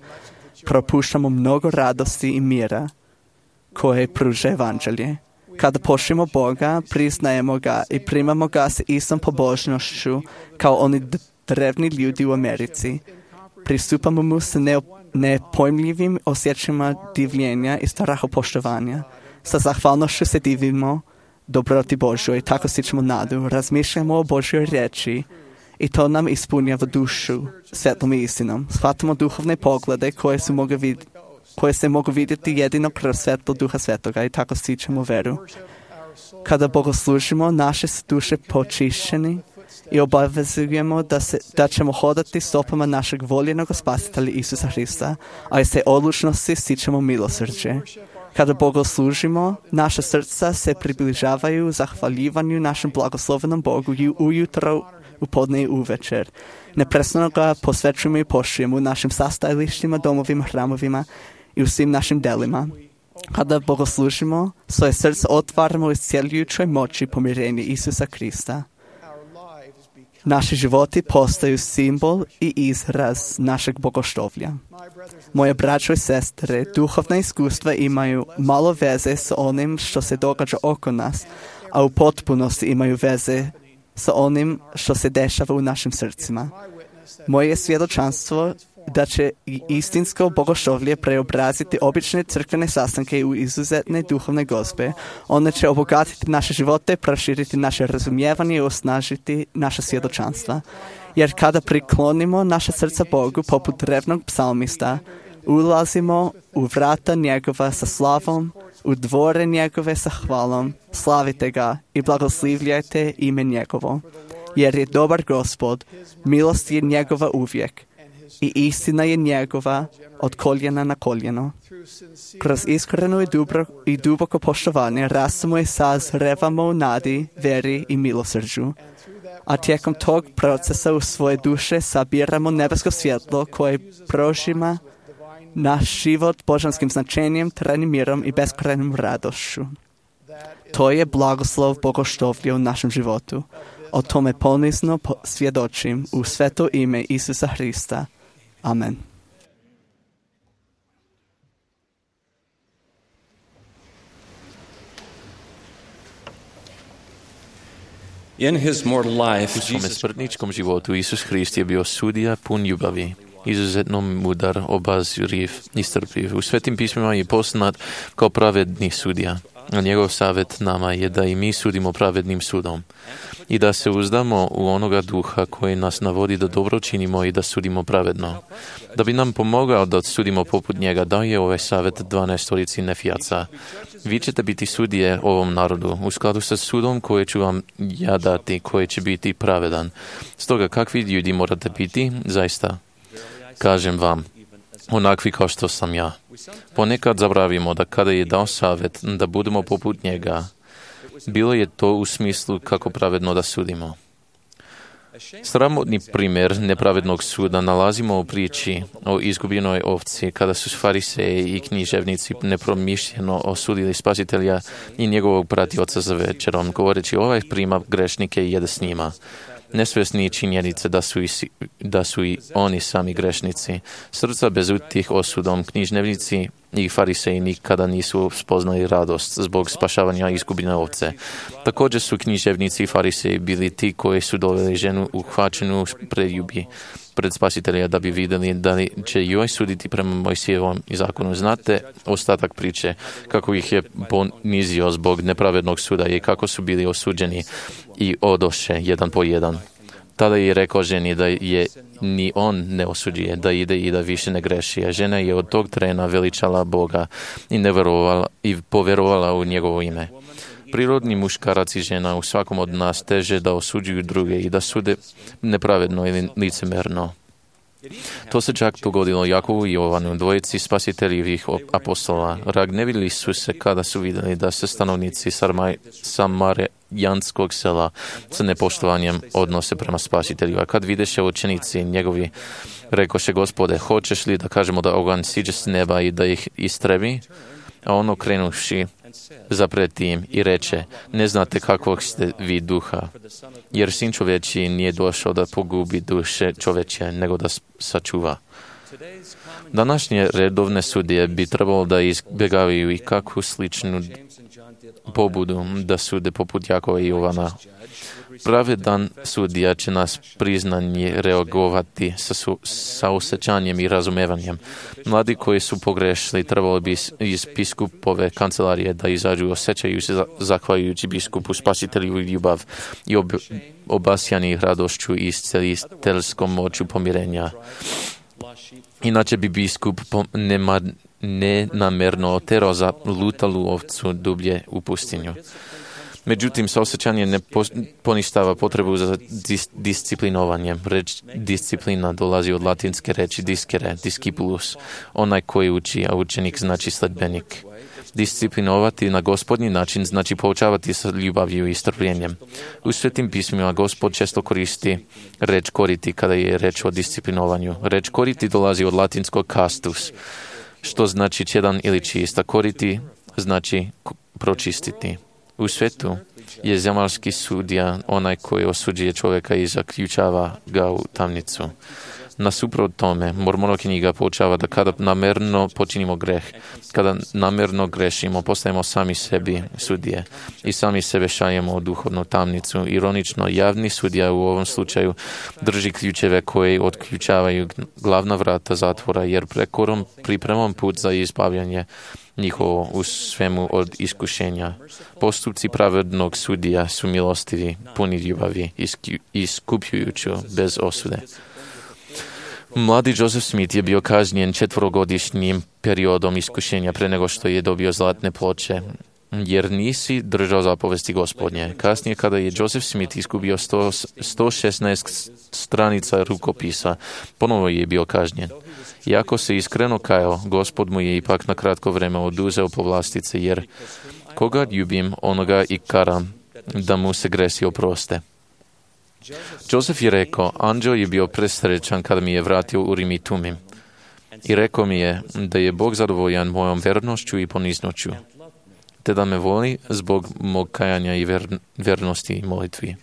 propuštamo mnogo radosti i mira koje pruža evanđelje. Kada poštujemo Boga, priznajemo ga i primamo ga s istom pobožnošću kao oni drevni ljudi u Americi. Pristupamo mu s nepojmljivim osjećajima divljenja i strahopoštovanja. Sa zahvalnošću se divimo dobroti Božoj, tako stičemo nadu, razmišljamo o Božjoj riječi i to nam ispunjava dušu svetlom i istinom. Shvatimo duhovne poglede koje se mogu vidjeti jedino kroz svetlo Duha Svetoga i tako stičemo veru. Kada bogoslužimo, naše su duše počišćeni i obavezujemo da ćemo hodati stopama našeg voljenog spasitelja Isusa Hrista, a iz te odlučnosti stičemo milosrđe. Kada bogoslužimo, naša srca se približavaju zahvaljivanju našem blagoslovenom Bogu i ujutro, u podne i uvečer. Neprestano ga posvećujemo i poštujemo u našim sastajalištima, domovima, hramovima i u svim našim delima. Kada bogoslužimo, svoje srce otvaramo iscjeljujućoj moći pomirenja Isusa Krista. Naši životi postaju simbol i izraz našeg bogoštovlja. Moje braćo i sestre, duhovna iskustva imaju malo veze s onim što se događa oko nas, a u potpunosti imaju veze s onim što se dešava u našim srcima. Moje svjedočanstvo da će i istinsko bogoštovlje preobraziti obične crkvene sastanke u izuzetne duhovne gozbe. One će obogatiti naše živote, proširiti naše razumijevanje i osnažiti naša svjedočanstva. Jer kada priklonimo naše srca Bogu poput revnog psalmista, ulazimo u vrata njegova sa slavom, u dvore njegove sa hvalom, slavite ga i blagoslivljajte ime njegovo. Jer je dobar Gospod, milost je njegova uvijek i istina je njegova od koljena na koljeno. Kroz iskreno i duboko poštovanje rastemo i sazrevamo u nadi, veri i milosrđu. A tijekom tog procesa u svoje duše sabiramo nebesko svjetlo koje prožima naš život božanskim značenjem, trajnim mirom i beskrajnom radošću. To je blagoslov bogoštovlje u našem životu. O tome ponizno svjedočim u sveto ime Isusa Hrista. Amen. In his mortal life, U svome smrtničkom životu Isus Hrist je bio sudija pun ljubavi, izuzetno mudar, obazriv i strpljiv. U svetim pismima je poznat kao pravedni sudija. A njegov savjet nama je da i mi sudimo pravednim sudom i da se uzdamo u onoga duha koji nas navodi da dobro činimo i da sudimo pravedno. Da bi nam pomogao da sudimo poput njega, dao je ovaj savjet 12 nefijaca. Vi ćete biti sudije ovom narodu u skladu sa sudom koje ću vam ja dati, koji će biti pravedan. Stoga kakvi ljudi morate biti? Zaista, kažem vam, onakvi kao što sam ja. Ponekad zaboravimo da kada je dao savjet da budemo poput njega, bilo je to u smislu kako pravedno da sudimo. Sramotni primjer nepravednog suda nalazimo u priči o izgubljenoj ovci kada su fariseji i književnici nepromišljeno osudili Spasitelja i njegovog pratioca za večerom, govoreći ovaj prima grešnike i jede s njima. Nesvjesni činjenice da su i oni sami grešnici. Srca bezutih osudom, književnici i fariseji nikada nisu spoznali radost zbog spašavanja izgubljene ovce. Također su književnici i fariseji bili ti koji su doveli ženu uhvaćenu preljubi pred Spasitelja da bi vidjeli da li će joj suditi prema Mojsijevom zakonu. Znate ostatak priče kako ih je ponizio zbog nepravednog suda i kako su bili osuđeni i odoše jedan po jedan. Tada je rekao ženi da je ni on ne osuđuje, da ide i da više ne greši. A žena je od tog trena veličala Boga i povjerovala u njegovo ime. Prirodni muškarac i žena u svakom od nas teže da osuđuju druge i da sude nepravedno ili licemerno. To se čak dogodilo Jakovu i Jovanu, dvojici spasiteljivih apostola. Ragnevili su se kada su vidjeli da se stanovnici samarijanskog sela sa nepoštovanjem odnose prema Spasitelju. A kad videše učenici njegovi, rekoše: Gospode, hoćeš li da kažemo da oganj siđe s neba i da ih istrebi? A on okrenuši zapreti im i reče: ne znate kakvog ste vi duha, jer Sin čovječji nije došao da pogubi duše čovječje, nego da sačuva. Današnje redovne sudije bi trebalo da izbjegavaju i kakvu sličnu pobudu da sude poput Jakova i Jovana. Pravedan sudija će nas priznanje reagovati sa osjećanjem i razumevanjem. Mladi koji su pogrešili trebalo bi iz biskupove kancelarije da izađu osjećaju se zahvaljujući biskupu, Spasitelju i ljubav i obasjani radošću i isceliteljskom moću pomirenja. Inače bi biskup nenamjerno terao za lutalu ovcu dublje u pustinju. Međutim, saosjećanje ne poništava potrebu za disciplinovanjem. Reč disciplina dolazi od latinske reči discere, discipulus, onaj koji uči, a učenik znači sledbenik. Disciplinovati na Gospodnji način znači poučavati sa ljubavlju i strpljenjem. U svetim pismima Gospod često koristi reč koriti kada je reč o disciplinovanju. Reč koriti dolazi od latinskog castus, što znači čedan ili čist, a koriti znači pročistiti. U svetu je zemaljski sudija onaj koji osuđuje čovjeka i zaključava ga u tamnicu. Nasuprot tome, Mormonova knjiga poučava da kada namerno počinimo greh, kada namerno grešimo, postajemo sami sebi sudije i sami sebe šaljemo u duhovnu tamnicu. Ironično, javni sudija u ovom slučaju drži ključeve koje otključavaju glavna vrata zatvora, jer prekorom pripremom put za izbavljanje njihovo u svemu od iskušenja. Postupci pravednog sudija su milostivi, puni ljubavi, iskupljujući bez osude. Mladi Joseph Smith je bio kažnjen 4-godišnjim periodom iskušenja pre nego što je dobio zlatne ploče, jer nisi držao zapovesti Gospodnje. Kasnije, kada je Joseph Smith izgubio 116 stranica rukopisa, ponovo je bio kažnjen. Iako se iskreno kajao, Gospod mu je ipak na kratko vreme oduzeo povlastice, jer koga ljubim, onoga i karam, da mu se gresi oproste. Joseph je rekao, anđeo je bio presrećan kada mi je vratio Urim i Tumim i rekao mi je da je Bog zadovoljan mojom vernošću i poniznoću, te da me voli zbog mog kajanja i vernosti i molitvi.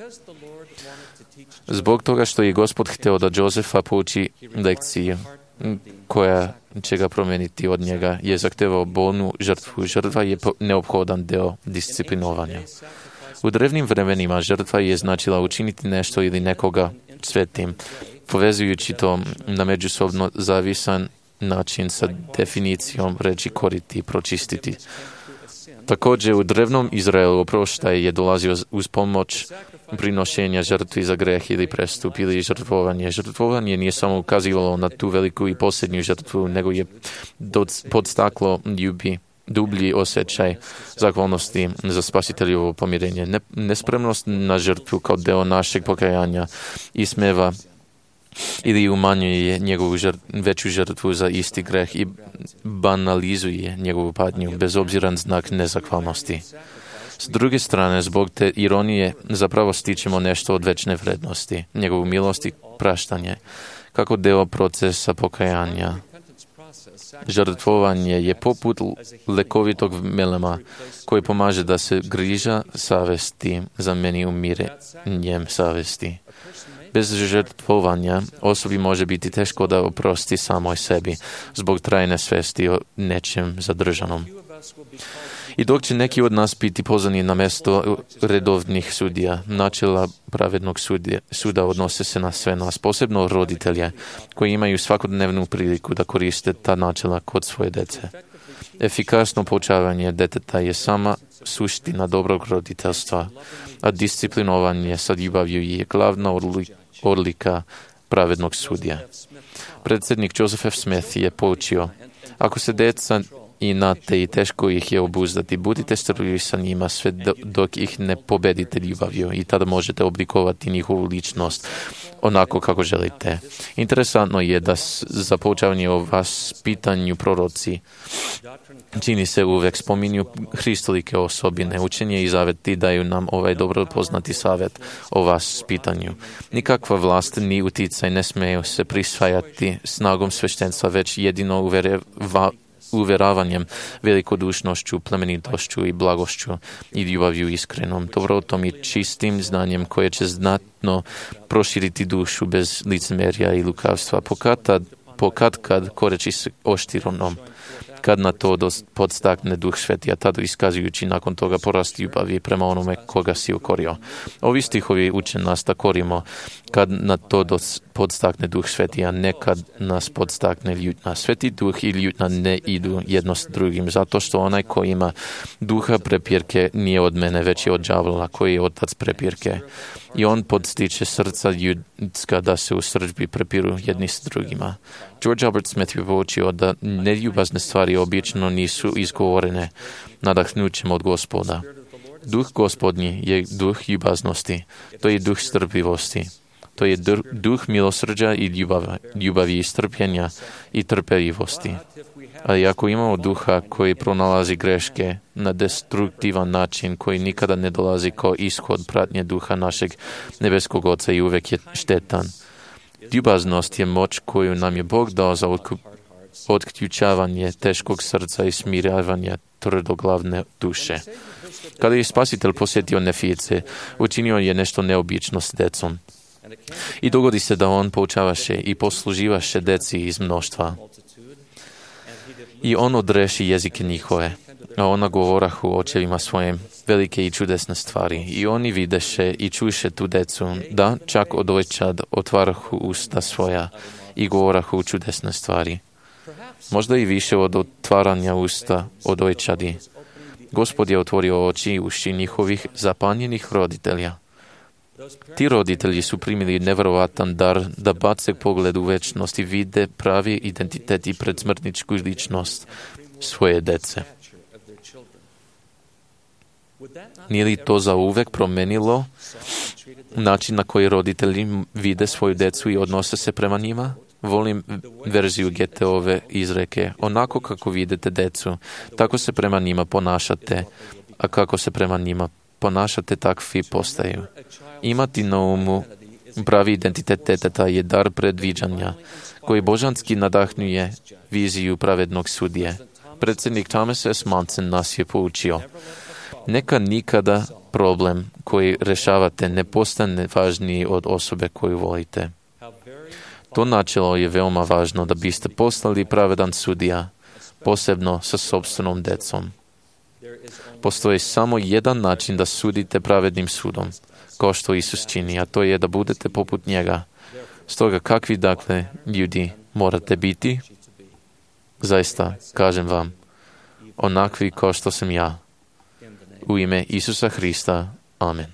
Zbog toga što je Gospod hteo da Josefa pouči lekciju koja će ga promeniti od njega, je zahtevao bolnu žrtvu. Žrtva je neophodan deo disciplinovanja. U drevnim vremenima žrtva je značila učiniti nešto ili nekoga svetim, povezujući to na međusobno zavisan način sa definicijom reči koriti i pročistiti. Također, u drevnom Izraelu oproštaj je dolazio uz pomoć prinošenja žrtvi za greh ili prestup ili žrtvovanje. Žrtvovanje nije samo ukazivalo na tu veliku i posljednju žrtvu, nego je podstaklo dublji osjećaj zahvalnosti za spasiteljovo pomirenje. Nespremnost na žrtvu kao deo našeg pokajanja ismeva ili umanjuje njegovu veću žrtvu za isti greh i banalizuje njegovu patnju bez obzira na znak nezahvalnosti. S druge strane, zbog te ironije zapravo stičemo nešto od večne vrednosti, njegovu milost i praštanje, kako deo procesa pokajanja. Žrtvovanje je poput lekovitog melema koji pomaže da se griža savesti zameni umirenjem savesti. Bez žrtvovanja osobi može biti teško da oprosti samoj sebi zbog trajne svesti o nečem zadržanom. I dok će neki od nas biti pozvani na mesto redovnih sudija, načela pravednog suda odnose se na sve nas, posebno roditelje koji imaju svakodnevnu priliku da koriste ta načela kod svoje dece. Efikasno poučavanje deteta je sama suština dobrog roditeljstva, a disciplinovanje sa ljubavlju je glavna odlika pravednog sudija. Predsjednik Joseph F. Smith je poučio, ako se deca inate i teško ih je obuzdati, budite strpljivi sa njima sve dok ih ne pobedite ljubavlju i tada možete oblikovati njihovu ličnost onako kako želite. Interesantno je da za poučavanje o vaspitanju proroci čini se uvek spominju hristolike osobine. Učenje i zaveti daju nam ovaj dobro poznati savjet o vaspitanju. Nikakva vlast ni uticaj ne smeju se prisvajati snagom sveštenstva, već jedino uveravanjem, velikodušnošću, plemenitošću i blagošću i ljubavlju iskrenom, dobrotom i čistim znanjem koje će znatno proširiti dušu bez licemerja i lukavstva, pokad koreći s oštironom, kad na to podstakne Duh Sveti, a tada iskazujući nakon toga porast ljubavi prema onome koga si ukorio. Ovi stihovi uče nas da korimo kad na to podstakne Duh Sveti, a ne kad nas podstakne ljutna. Sveti Duh i ljutna ne idu jedno s drugim, zato što onaj ko ima duha prepirke nije od mene, već je od đavola koji je otac prepirke. I on podstiče srca ljudska da se u srdžbi prepiru jedni s drugima. George Albert Smith je poučio da neljubazne stvari obično nisu izgovorene nadahnućem od Gospoda. Duh Gospodnji je duh ljubaznosti, to je duh strpljivosti, to je duh milosrđa i ljubavi i strpljenja i trpeljivosti. Ali ako imamo duha koji pronalazi greške na destruktivan način, koji nikada ne dolazi kao ishod pratnje duha našeg nebeskog Oca i uvek je štetan. Ljubaznost je moć koju nam je Bog dao za otključavanje teškog srca i smiravanje tvrdoglavne duše. Kada je Spasitelj posjetio Nefijice, učinio je nešto neobično s decom. I dogodi se da on poučavaše i posluživaše deci iz mnoštva. I on odreši jezike njihove, a ona govorahu očevima svojim velike i čudesne stvari. I oni videše i čuše tu decu, da čak od ojčad otvarahu usta svoja i govorahu čudesne stvari. Možda i više od otvaranja usta od ojčadi. Gospod je otvorio oči i uši njihovih zapanjenih roditelja. Ti roditelji su primili nevjerovatan dar da bace pogled u večnost i vide pravi identitet i predsmrtničku ličnost svoje dece. Nije li to zauvek promenilo način na koji roditelji vide svoju decu i odnose se prema njima? Volim verziju Goetheove izreke: onako kako vidite decu, tako se prema njima ponašate, a kako se prema njima ponašate, takvi postaju. Imati na umu pravi identitet deteta je dar predviđanja, koji božanski nadahnjuje viziju pravednog sudije. Predsjednik Thomas S. Monson nas je poučio: neka nikada problem koji rešavate ne postane važniji od osobe koju volite. To načelo je veoma važno da biste postali pravedan sudija, posebno sa sopstvenom decom. Postoji samo jedan način da sudite pravednim sudom, kao što Isus čini, a to je da budete poput njega. Stoga kakvi dakle ljudi morate biti? Zaista, kažem vam, onakvi kao što sam ja. U ime Isusa Hrista. Amen.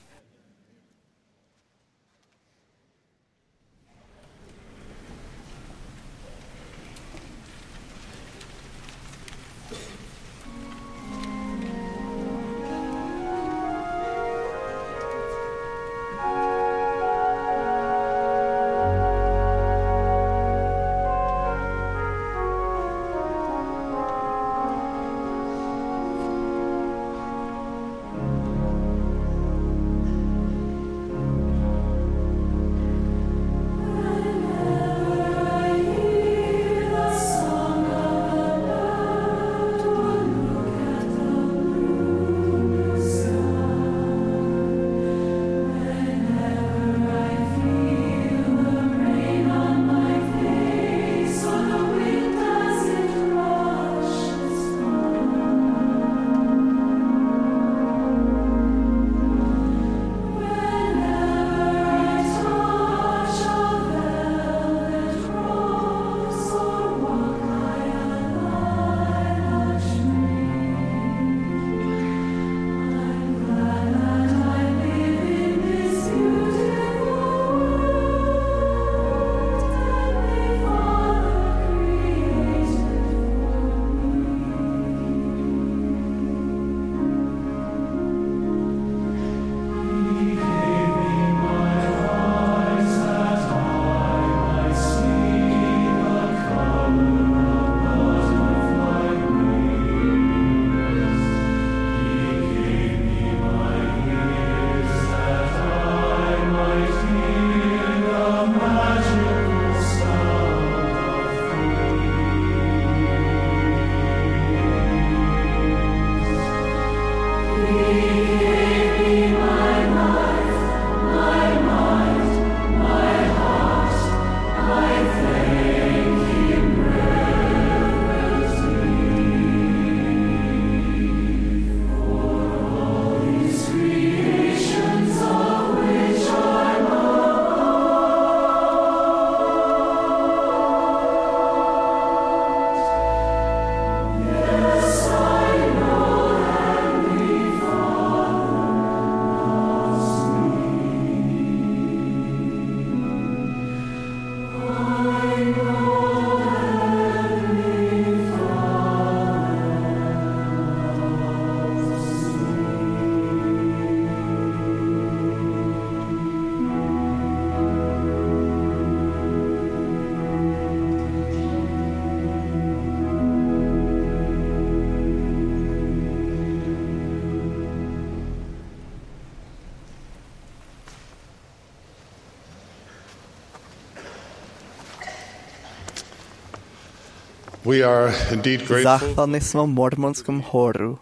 We are indeed grateful. Zahvalni smo mormonskom horu,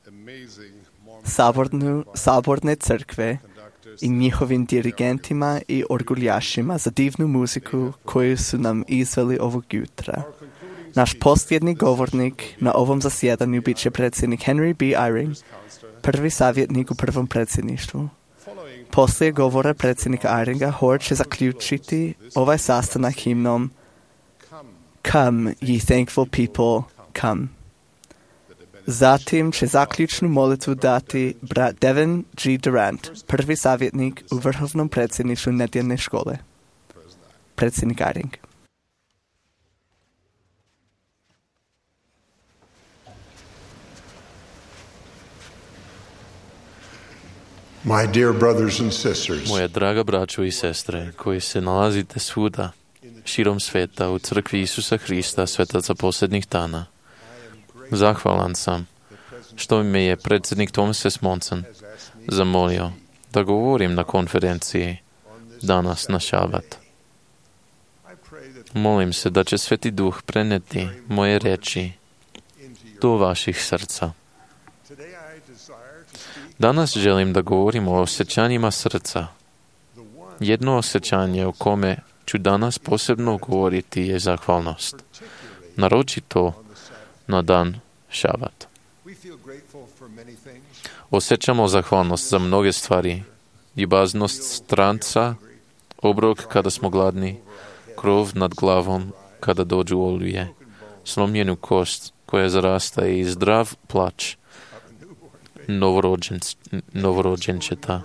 Amazing Mormon saborne crkve i njihovim dirigentima i orguljašima za divnu muziku koju su nam izveli ovog jutra. Naš posljednji govornik na ovom zasjedanju bit će predsjednik Henry B. Eyring, prvi savjetnik u prvom predsjedništvu. Poslije govora predsjednika Eyringa, hor će zaključiti ovaj sastanak himnom Come, ye thankful people, come. Zatim će zaključnu molitvu dati brat Devin G. Durant, prvi savjetnik u vrhovnom predsjedništvu nedjeljne škole. Predsjednik Eyring. My dear brothers and sisters, Moja draga braćo i sestre, koji se nalazite svuda, širom sveta, u crkvi Isusa Hrista, svetaca posljednjih dana, zahvalan sam što me je predsjednik Thomas S. Monson zamolio da govorim na konferenciji danas na šabat. Molim se da će Sveti Duh preneti moje reči do vaših srca. Danas želim da govorim o osjećanjima srca. Jedno osjećanje o kome ću danas posebno govoriti je zahvalnost, naročito na dan šabat. Osjećamo zahvalnost za mnoge stvari, ljubaznost stranca, obrok kada smo gladni, krov nad glavom kada dođu oluje, slomljenu kost koja zarasta i zdrav plač novorođenčeta.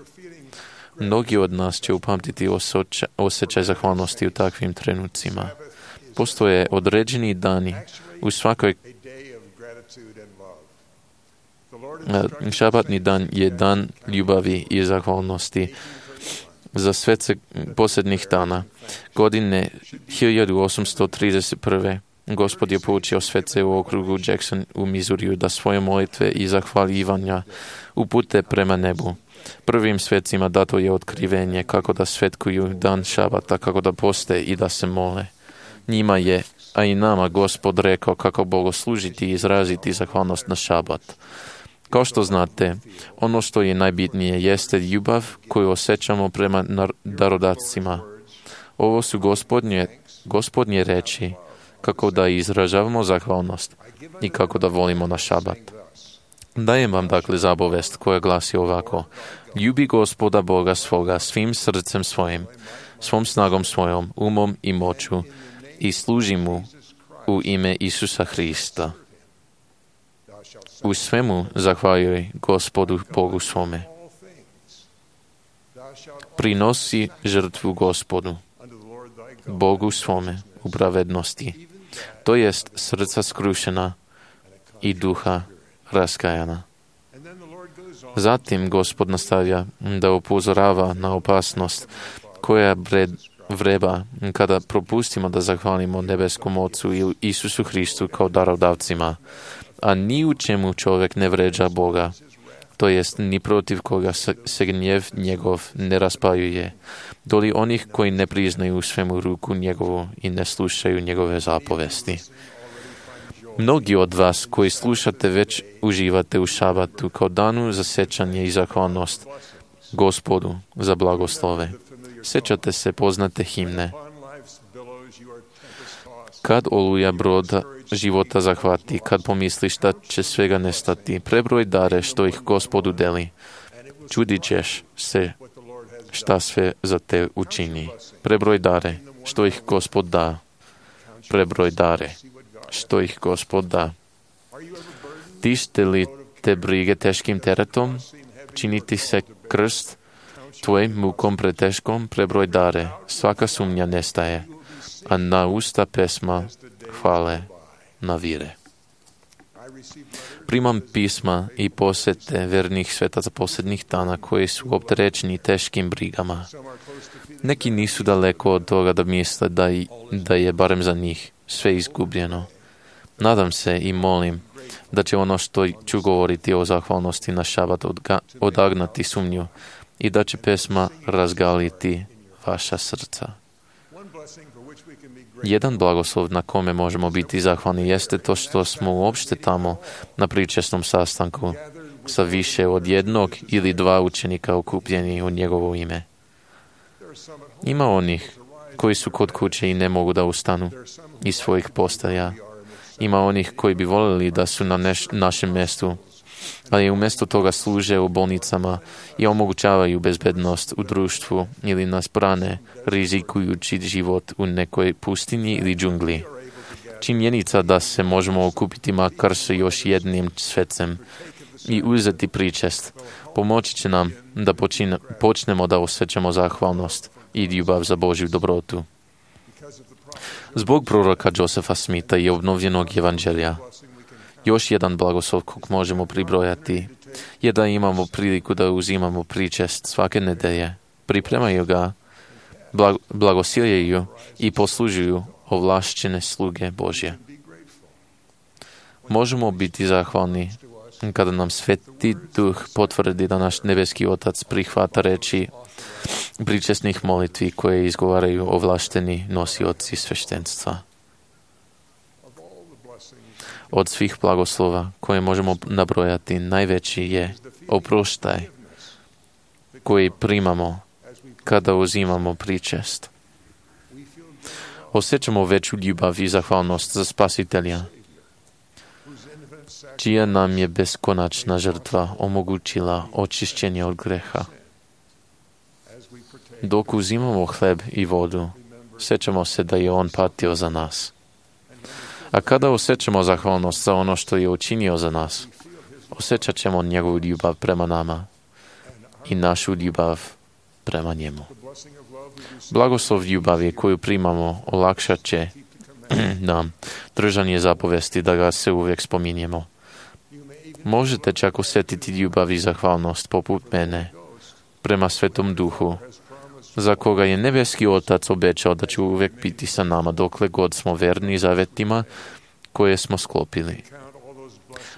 Mnogi od nas će upamtiti osjećaj zahvalnosti u takvim trenucima. Postoje određeni dani u svakoj. Šabatni dan je dan ljubavi i zahvalnosti za svece posljednjih dana. Godine 1831. Gospod je poučio svece u okrugu Jackson u Missouriju da svoje molitve i zahvaljivanja upute prema nebu. Prvim svecima dato je otkrivenje kako da svetkuju dan šabata, kako da poste i da se mole. Njima je, a i nama, Gospod rekao kako bogoslužiti i izraziti zahvalnost na šabat. Kao što znate, ono što je najbitnije jeste ljubav koju osjećamo prema darodavcima. Ovo su gospodnje reči kako da izražavamo zahvalnost i kako da volimo na šabat. Dajem vam dakle zapovest koja glasi ovako: ljubi Gospoda Boga svoga svim srcem svojim, svom snagom svojom, umom i moću i služi mu u ime Isusa Hrista. U svemu zahvaljuj Gospodu Bogu svome. Prinosi žrtvu Gospodu, Bogu svome, u pravednosti, to jest srca skrušena i duha raskajana. Zatim Gospod nastavlja da upozorava na opasnost koja vreba kada propustimo da zahvalimo nebeskom Ocu i Isusu Hristu kao darodavcima, a ni u čemu čovjek ne vređa Boga, to jest ni protiv koga se gnjev njegov ne raspaljuje, doli onih koji ne priznaju u svemu ruku njegovu i ne slušaju njegove zapovesti. Mnogi od vas koji slušate već uživate u šabatu kao danu za sjećanje i zahvalnost Gospodu za blagoslove. Sjećate se poznate himne. Kad oluja broda života zahvati, kad pomisliš da će svega nestati, prebroj dare što ih Gospodu deli. Čudit ćeš se šta sve za te učini. Prebroj dare što ih Gospod da. Prebroj dare što ih Gospod da. Tište li te brige teškim teretom? Činiti se krst tvoj mukom preteškom? Prebroj dare, svaka sumnja nestaje, a na usta pesma hvale navire. Primam pisma i posjete vernih svetaca posljednjih dana koji su opterećeni teškim brigama. Neki nisu daleko od toga da misle da je barem za njih sve izgubljeno. Nadam se i molim da će ono što ću govoriti o zahvalnosti na šabat odagnati sumnju i da će pesma razgaliti vaša srca. Jedan blagoslov na kome možemo biti zahvalni jeste to što smo uopšte tamo na pričesnom sastanku. sa više od jednog ili dva učenika okupljeni u njegovo ime. Ima onih koji su kod kuće i ne mogu da ustanu iz svojih postaja. Ima onih koji bi voljeli da su na našem mjestu, ali umjesto toga služe u bolnicama i omogućavaju bezbednost u društvu ili nas brane, rizikujući život u nekoj pustinji ili džungli. Činjenica da se možemo okupiti makar sa još jednim svetcem i uzeti pričest pomoći će nam da počnemo da osjećamo zahvalnost i ljubav za Božju dobrotu. Zbog proroka Josepha Smitha i obnovljenog evanđelja, još jedan blagoslov kog možemo pribrojati je da imamo priliku da uzimamo pričest svake nedelje, pripremaju ga, blagosiljaju i poslužuju ovlašćene sluge Božje. Možemo biti zahvalni kada nam Sveti Duh potvrdi da naš nebeski Otac prihvata reči pričesnih molitvi koje izgovaraju ovlašteni nosioci sveštenstva. Od svih blagoslova koje možemo nabrojati, najveći je oproštaj koji primamo kada uzimamo pričest. Osjećamo veću ljubav i zahvalnost za Spasitelja, čija nam je beskonačna žrtva omogućila očišćenje od greha. Dok uzimamo hleb i vodu, sjećamo se da je On patio za nas. A kada osjećamo zahvalnost za ono što je učinio za nas, osjećat ćemo njegovu ljubav prema nama i našu ljubav prema njemu. Blagoslov ljubavi koju primamo olakšat će nam držanje zapovesti da ga se uvijek spominjemo. Možete čak osjetiti ljubav i zahvalnost poput mene prema Svetom Duhu, za koga je nebeski Otac obećao da će uvijek biti sa nama dokle god smo verni zavetima koje smo sklopili.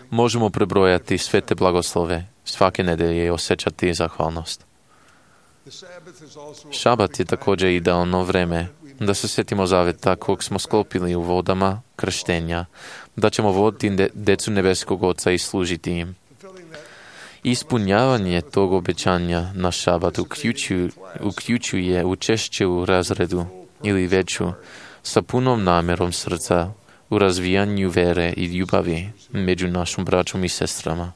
Možemo prebrojati sve te blagoslove svake nedelje i osjećati zahvalnost. Šabat je također idealno vreme da se sjetimo zaveta kog smo sklopili u vodama krštenja, da ćemo voditi decu nebeskog Oca i služiti im. Ispunjavanje tog obećanja na šabat uključuje učešće u razredu ili veću sa punom namjerom srca u razvijanju vere i ljubavi među našom braćom i sestrama.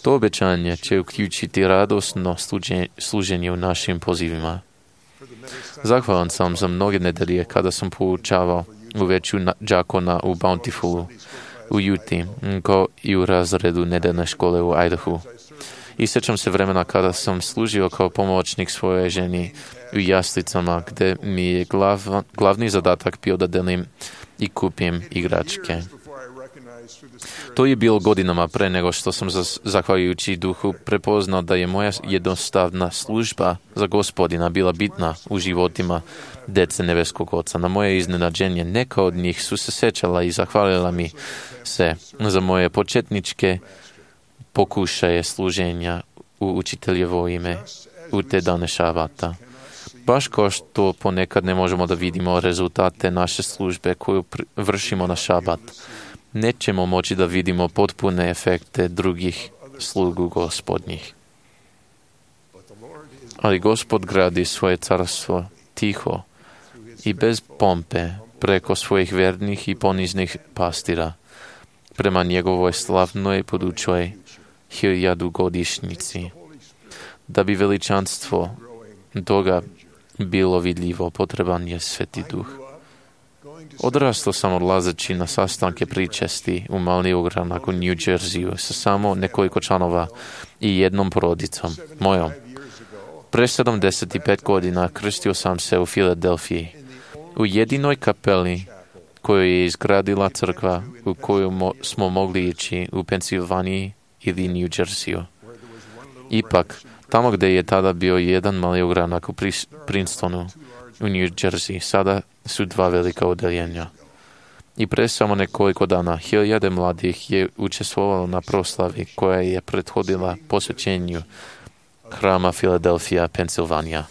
To obećanje će uključiti radosno služenje u našim pozivima. Zahvalan sam za mnoge nedelje kada sam poučavao u veću đakona u Bountifulu, u Utah, kao i u razredu nedeljne škole u Idahu. I sjećam se vremena kada sam služio kao pomoćnik svojoj ženi u jaslicama, gdje mi je glavni zadatak bio da delim i kupim igračke. To je bilo godinama pre nego što sam zahvaljujući Duhu prepoznao da je moja jednostavna služba za Gospodina bila bitna u životima dece nebeskog Oca. Na moje iznenađenje neka od njih su se sjećala i zahvalila mi se za moje početničke pokušaje služenja u učiteljevo ime u te dane šabata. Baš kao što ponekad ne možemo da vidimo rezultate naše službe koju vršimo na šabat, nećemo moći da vidimo potpune efekte drugih slugu Gospodnjih. Ali Gospod gradi svoje carstvo tiho i bez pompe preko svojih vernih i poniznih pastira prema njegovoj slavnoj budućoj 1000-godišnjici. Da bi veličanstvo toga bilo vidljivo, potreban je Sveti Duh. Odrastao sam odlazeći na sastanke pričesti u mali ogranak u New Jerseyu sa samo nekoliko članova i jednom porodicom, mojom. Pre 75 godina krstio sam se u Filadelfiji, u jedinoj kapeli koju je izgradila crkva u koju smo mogli ići u Pensilvaniji ili New Jerseyu. Ipak, tamo gdje je tada bio jedan mali ogranak u Princetonu, u New Jersey, sada su dva velika odeljenja. I pre samo nekoliko dana 1000 mladih je učestvovalo na proslavi koja je prethodila posvećenju hrama Philadelphia, Pensilvanija.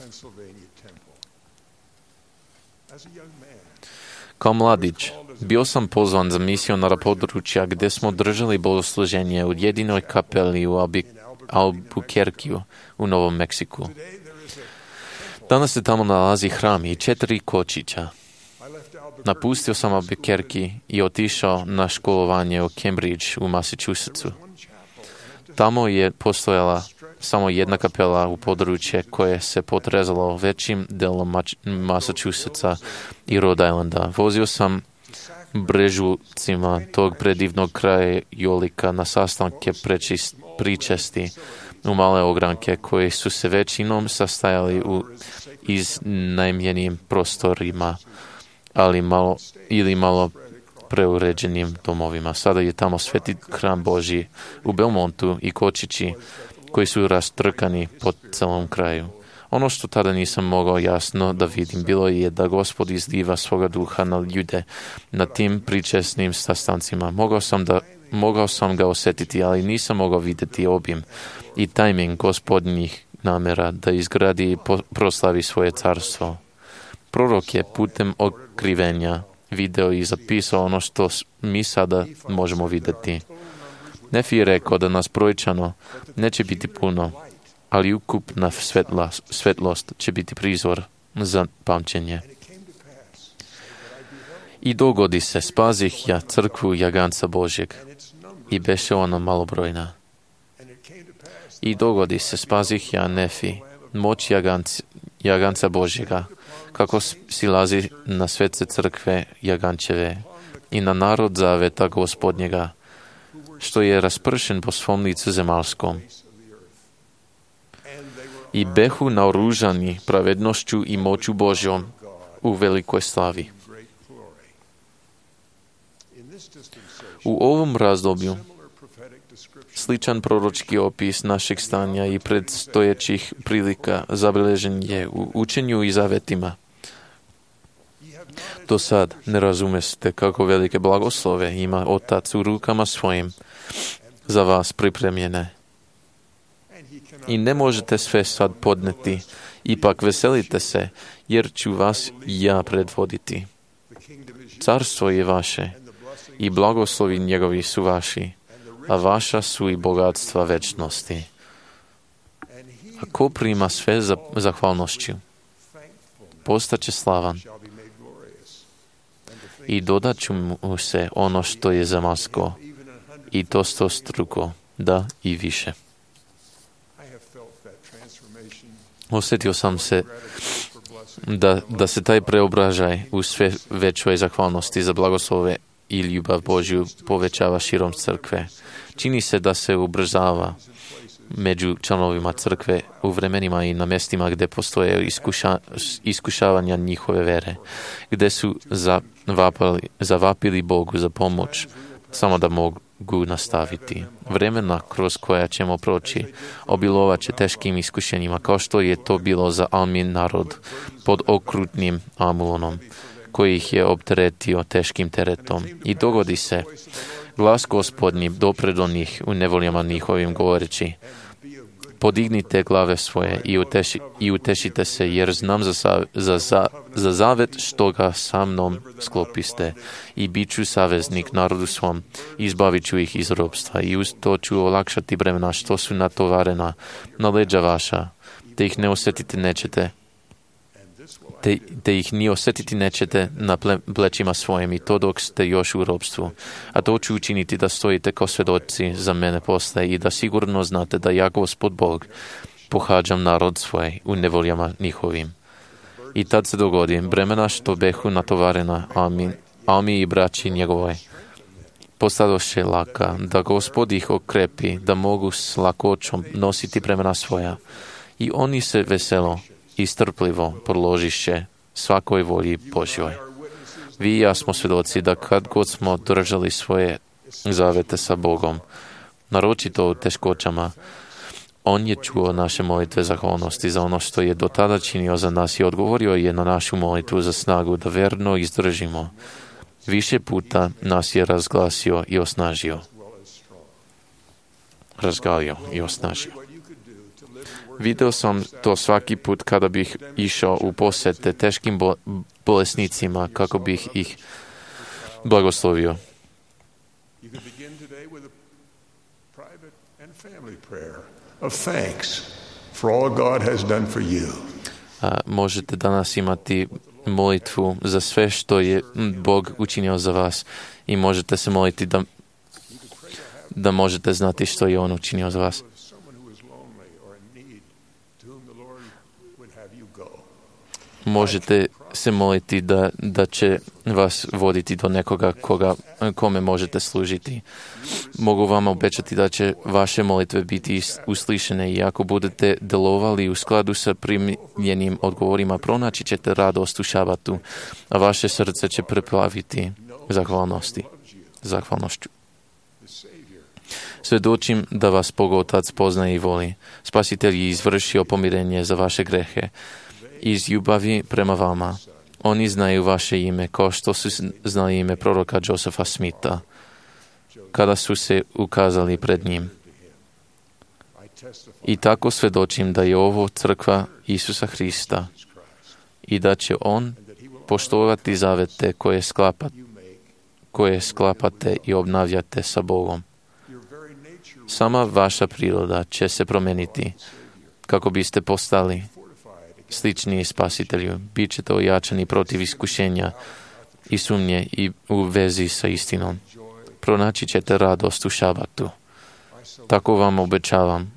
Kao mladić, bio sam pozvan za misionara područja gdje smo držali bogosluženje u jedinoj kapeli u Albuquerqueu u Novom Meksiku. Danas se tamo nalazi hram i 4 kočića. Napustio sam Albuquerque i otišao na školovanje u Cambridge u Massachusettsu. Tamo je postojala samo jedna kapela u područje koje se potrezalo većim delom Massachusettsa i Rhode Islanda. Vozio sam brežucima tog predivnog krajolika na sastanke pričesti u male ogranke koji su se većinom sastajali u iznajmljenim prostorima, ali malo preuređenim domovima. Sada je tamo sveti hram Božji u Belmontu i kočići koji su rastrkani po celom kraju. Ono što tada nisam mogao jasno da vidim bilo je da Gospod izliva svoga duha na ljude na tim pričesnim sastancima. Mogao sam ga osjetiti, ali nisam mogao vidjeti obim i tajming Gospodnjih namjera da izgradi i proslavi svoje carstvo. Prorok je putem otkrivenja video i zapisao ono što mi sada možemo vidjeti. Nefi je rekao da nas brojčano neće biti puno, ali ukupna svetlost će biti prizor za pamćenje. I dogodi se, spazih ja crkvu Jaganca Božjeg i beše ona malobrojna. I dogodi se, spazih ja Nefi, moć Jaganca Božjega, kako silazi na svece crkve Jagančeve i na narod zaveta Gospodnjega, što je raspršen po svom licu zemalskom. I behu naoružani pravednošću i moću Božjom u velikoj slavi. U ovom razdoblju sličan proročki opis našeg stanja i predstojećih prilika zabilježen je u učenju i zavetima. Do sad ne razumeste kako velike blagoslove ima Otac u rukama svojim za vas pripremljene. I ne možete sve sad podneti, ipak veselite se, jer ću vas ja predvoditi. Carstvo je vaše i blagoslovi njegovi su vaši, a vaša su i bogatstva večnosti. A ko prima sve za zahvalnošću, postaće slavan i dodat ću mu se ono što je zemasko i to stostruko, da i više. Osjetio sam se da se taj preobražaj u sve većoj zahvalnosti za blagoslove i ljubav Božju povećava širom crkve. Čini se da se ubrzava među članovima crkve u vremenima i na mjestima gdje postoje iskušavanja njihove vere, gdje su zavapili Bogu za pomoć, samo da mogu nastaviti. Vremena kroz koja ćemo proći obilovat će teškim iskušenjima, kao što je to bilo za Almin narod pod okrutnim Amulonom, koji ih je opteretio teškim teretom. I dogodi se, glas Gospodnji dopre do njih u nevoljama njihovim govoreći: podignite glave svoje i utešite se, jer znam za zavet što ga sa mnom sklopiste i bit ću saveznik narodu svom, izbavit ću ih iz ropstva i uz to ću olakšati bremena što su natovarena na leđa vaša, te ih ne osjetiti nećete, te ih ni osjetiti nećete na plećima svojim, i to dok ste još u ropstvu. A to ću učiniti da stojite kao svedoci za mene posle i da sigurno znate da ja, Gospod Bog, pohađam narod svoj u nevoljama njihovim. I tad se dogodi, bremena što behu natovarena Almi i braći njegovoj postadoše laka, da Gospod ih okrepi, da mogu s lakoćom nositi bremena svoja. I oni se veselo i strpljivo podložiše svakoj volji Božjoj. Vi i ja smo svjedoci da kad god smo držali svoje zavete sa Bogom, naročito u teškoćama, On je čuo naše molitve zahvalnosti za ono što je do tada činio za nas i odgovorio je na našu molitvu za snagu da verno izdržimo. Više puta nas je razgalio i osnažio. Video sam to svaki put kada bih išao u posete teškim bolesnicima kako bih ih blagoslovio. You could begin today with a private and family prayer of thanks for all God has done for you. Možete danas imati molitvu za sve što je Bog učinio za vas i možete se moliti da možete znati što je On učinio za vas. Možete se moliti da će vas voditi do nekoga kome možete služiti. Mogu vam obećati da će vaše molitve biti uslišene i ako budete delovali u skladu sa primljenim odgovorima, pronaći ćete radost u šabatu, a vaše srce će preplaviti zahvalnošću. Svedočim da vas Bog Otac poznaje i voli. Spasitelj je izvršio pomirenje za vaše grehe. Iz ljubavi prema vama. Oni znaju vaše ime, kao što su znali ime proroka Josepha Smitha, kada su se ukazali pred njim. I tako svedočim da je ovo crkva Isusa Hrista i da će On poštovati zavete koje sklapate i obnavljate sa Bogom. Sama vaša priroda će se promeniti kako biste postali slični Spasitelju. Bit ćete ojačani protiv iskušenja i sumnje i u vezi sa istinom. Pronaći ćete radost u šabatu. Tako vam obećavam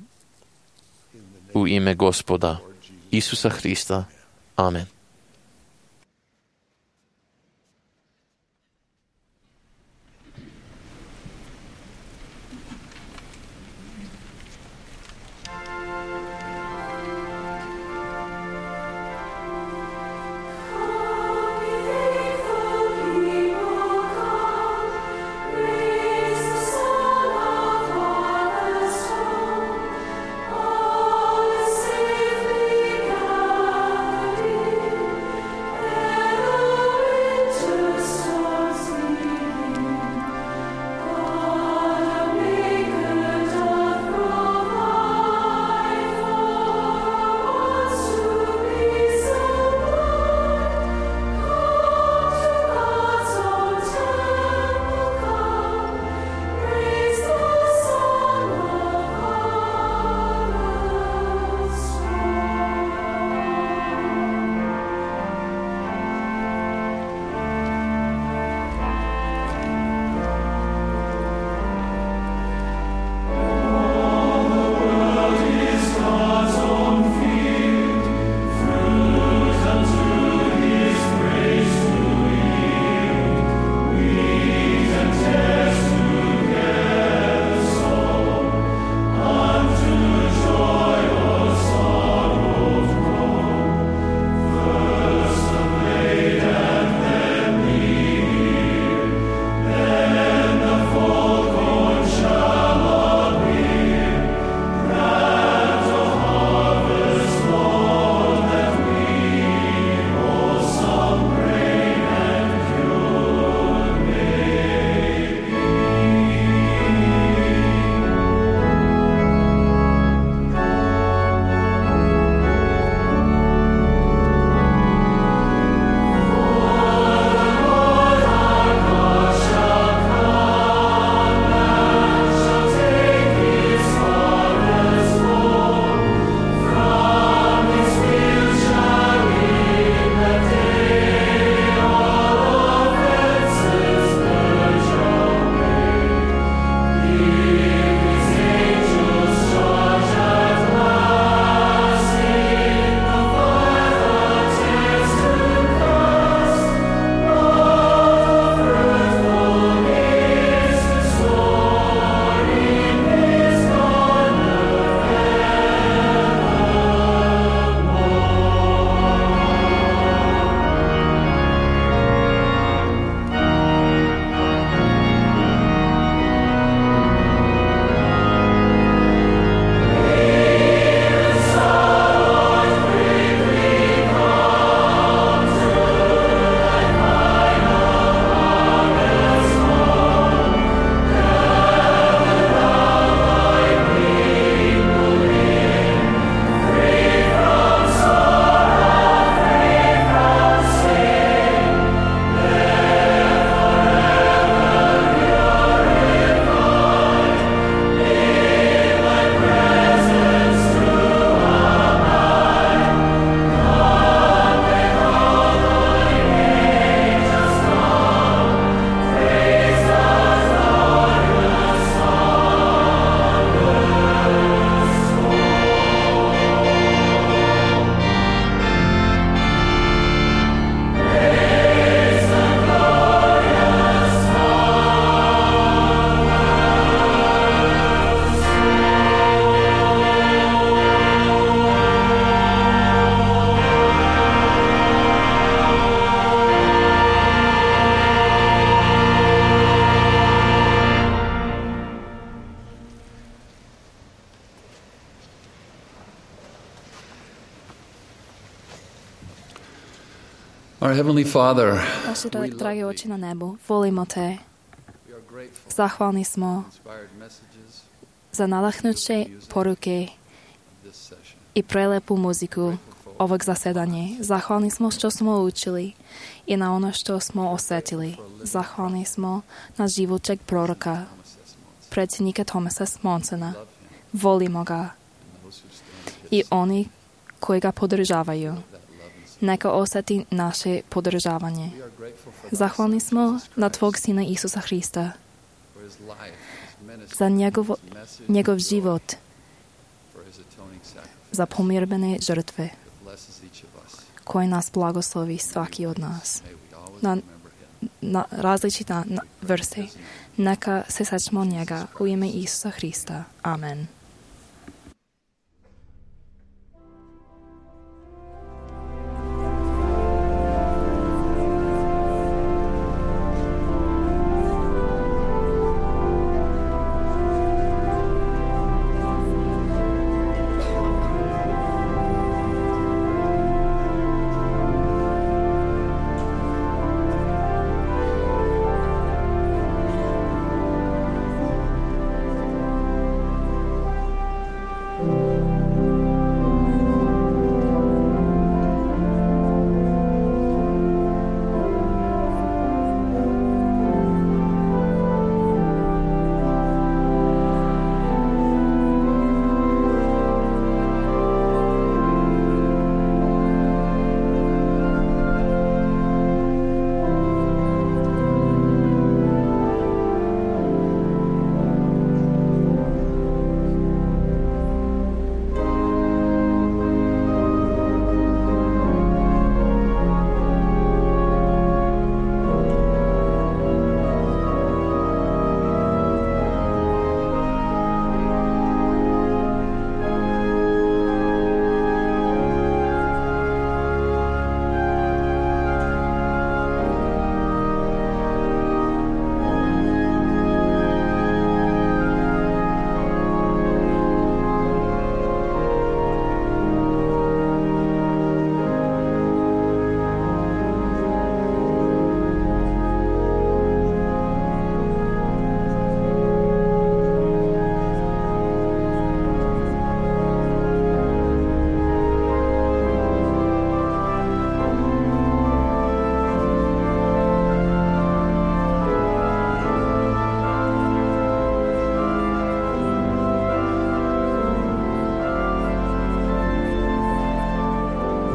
u ime Gospoda Isusa Hrista. Amen. Our Heavenly Father, Naši dragi oči na nebu, volimo Te. Zahvalni smo za nadahnuće poruke i prelepu muziku ovog zasedanja. Zahvalni smo što smo učili i na ono što smo osjetili. Zahvalni smo na živočeg proroka, predsjednika Thomasa Monsona. Volimo ga i oni koji ga podržavaju. Neka osjeti naše podržavanje. Zahvalni smo na Tvog Sina Isusa Hrista, za njegov život, za pomirbene žrtve, koji nas blagoslovi svaki od nas. Na različite vrste. Neka se sećamo njega u ime Isusa Hrista. Amen.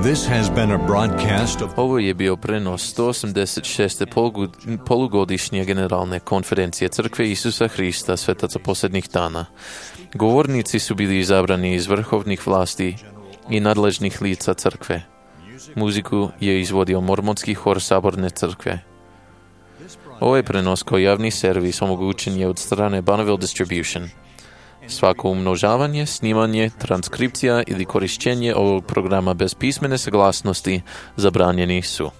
This has been a broadcast of... Ovo je bio prenos 186. polugodišnje generalne konferencije Crkve Isusa Hrista Svetaca posljednjih dana. Govornici su bili izabrani iz vrhovnih vlasti i nadležnih lica Crkve. Muziku je izvodio Mormonski hor Saborne Crkve. Ovaj prenos kao javni servis omogućen je od strane Bonneville Distribution. Svako umnožavanje, snimanje, transkripcija ili korišćenje ovog programa bez pismene saglasnosti zabranjeni su.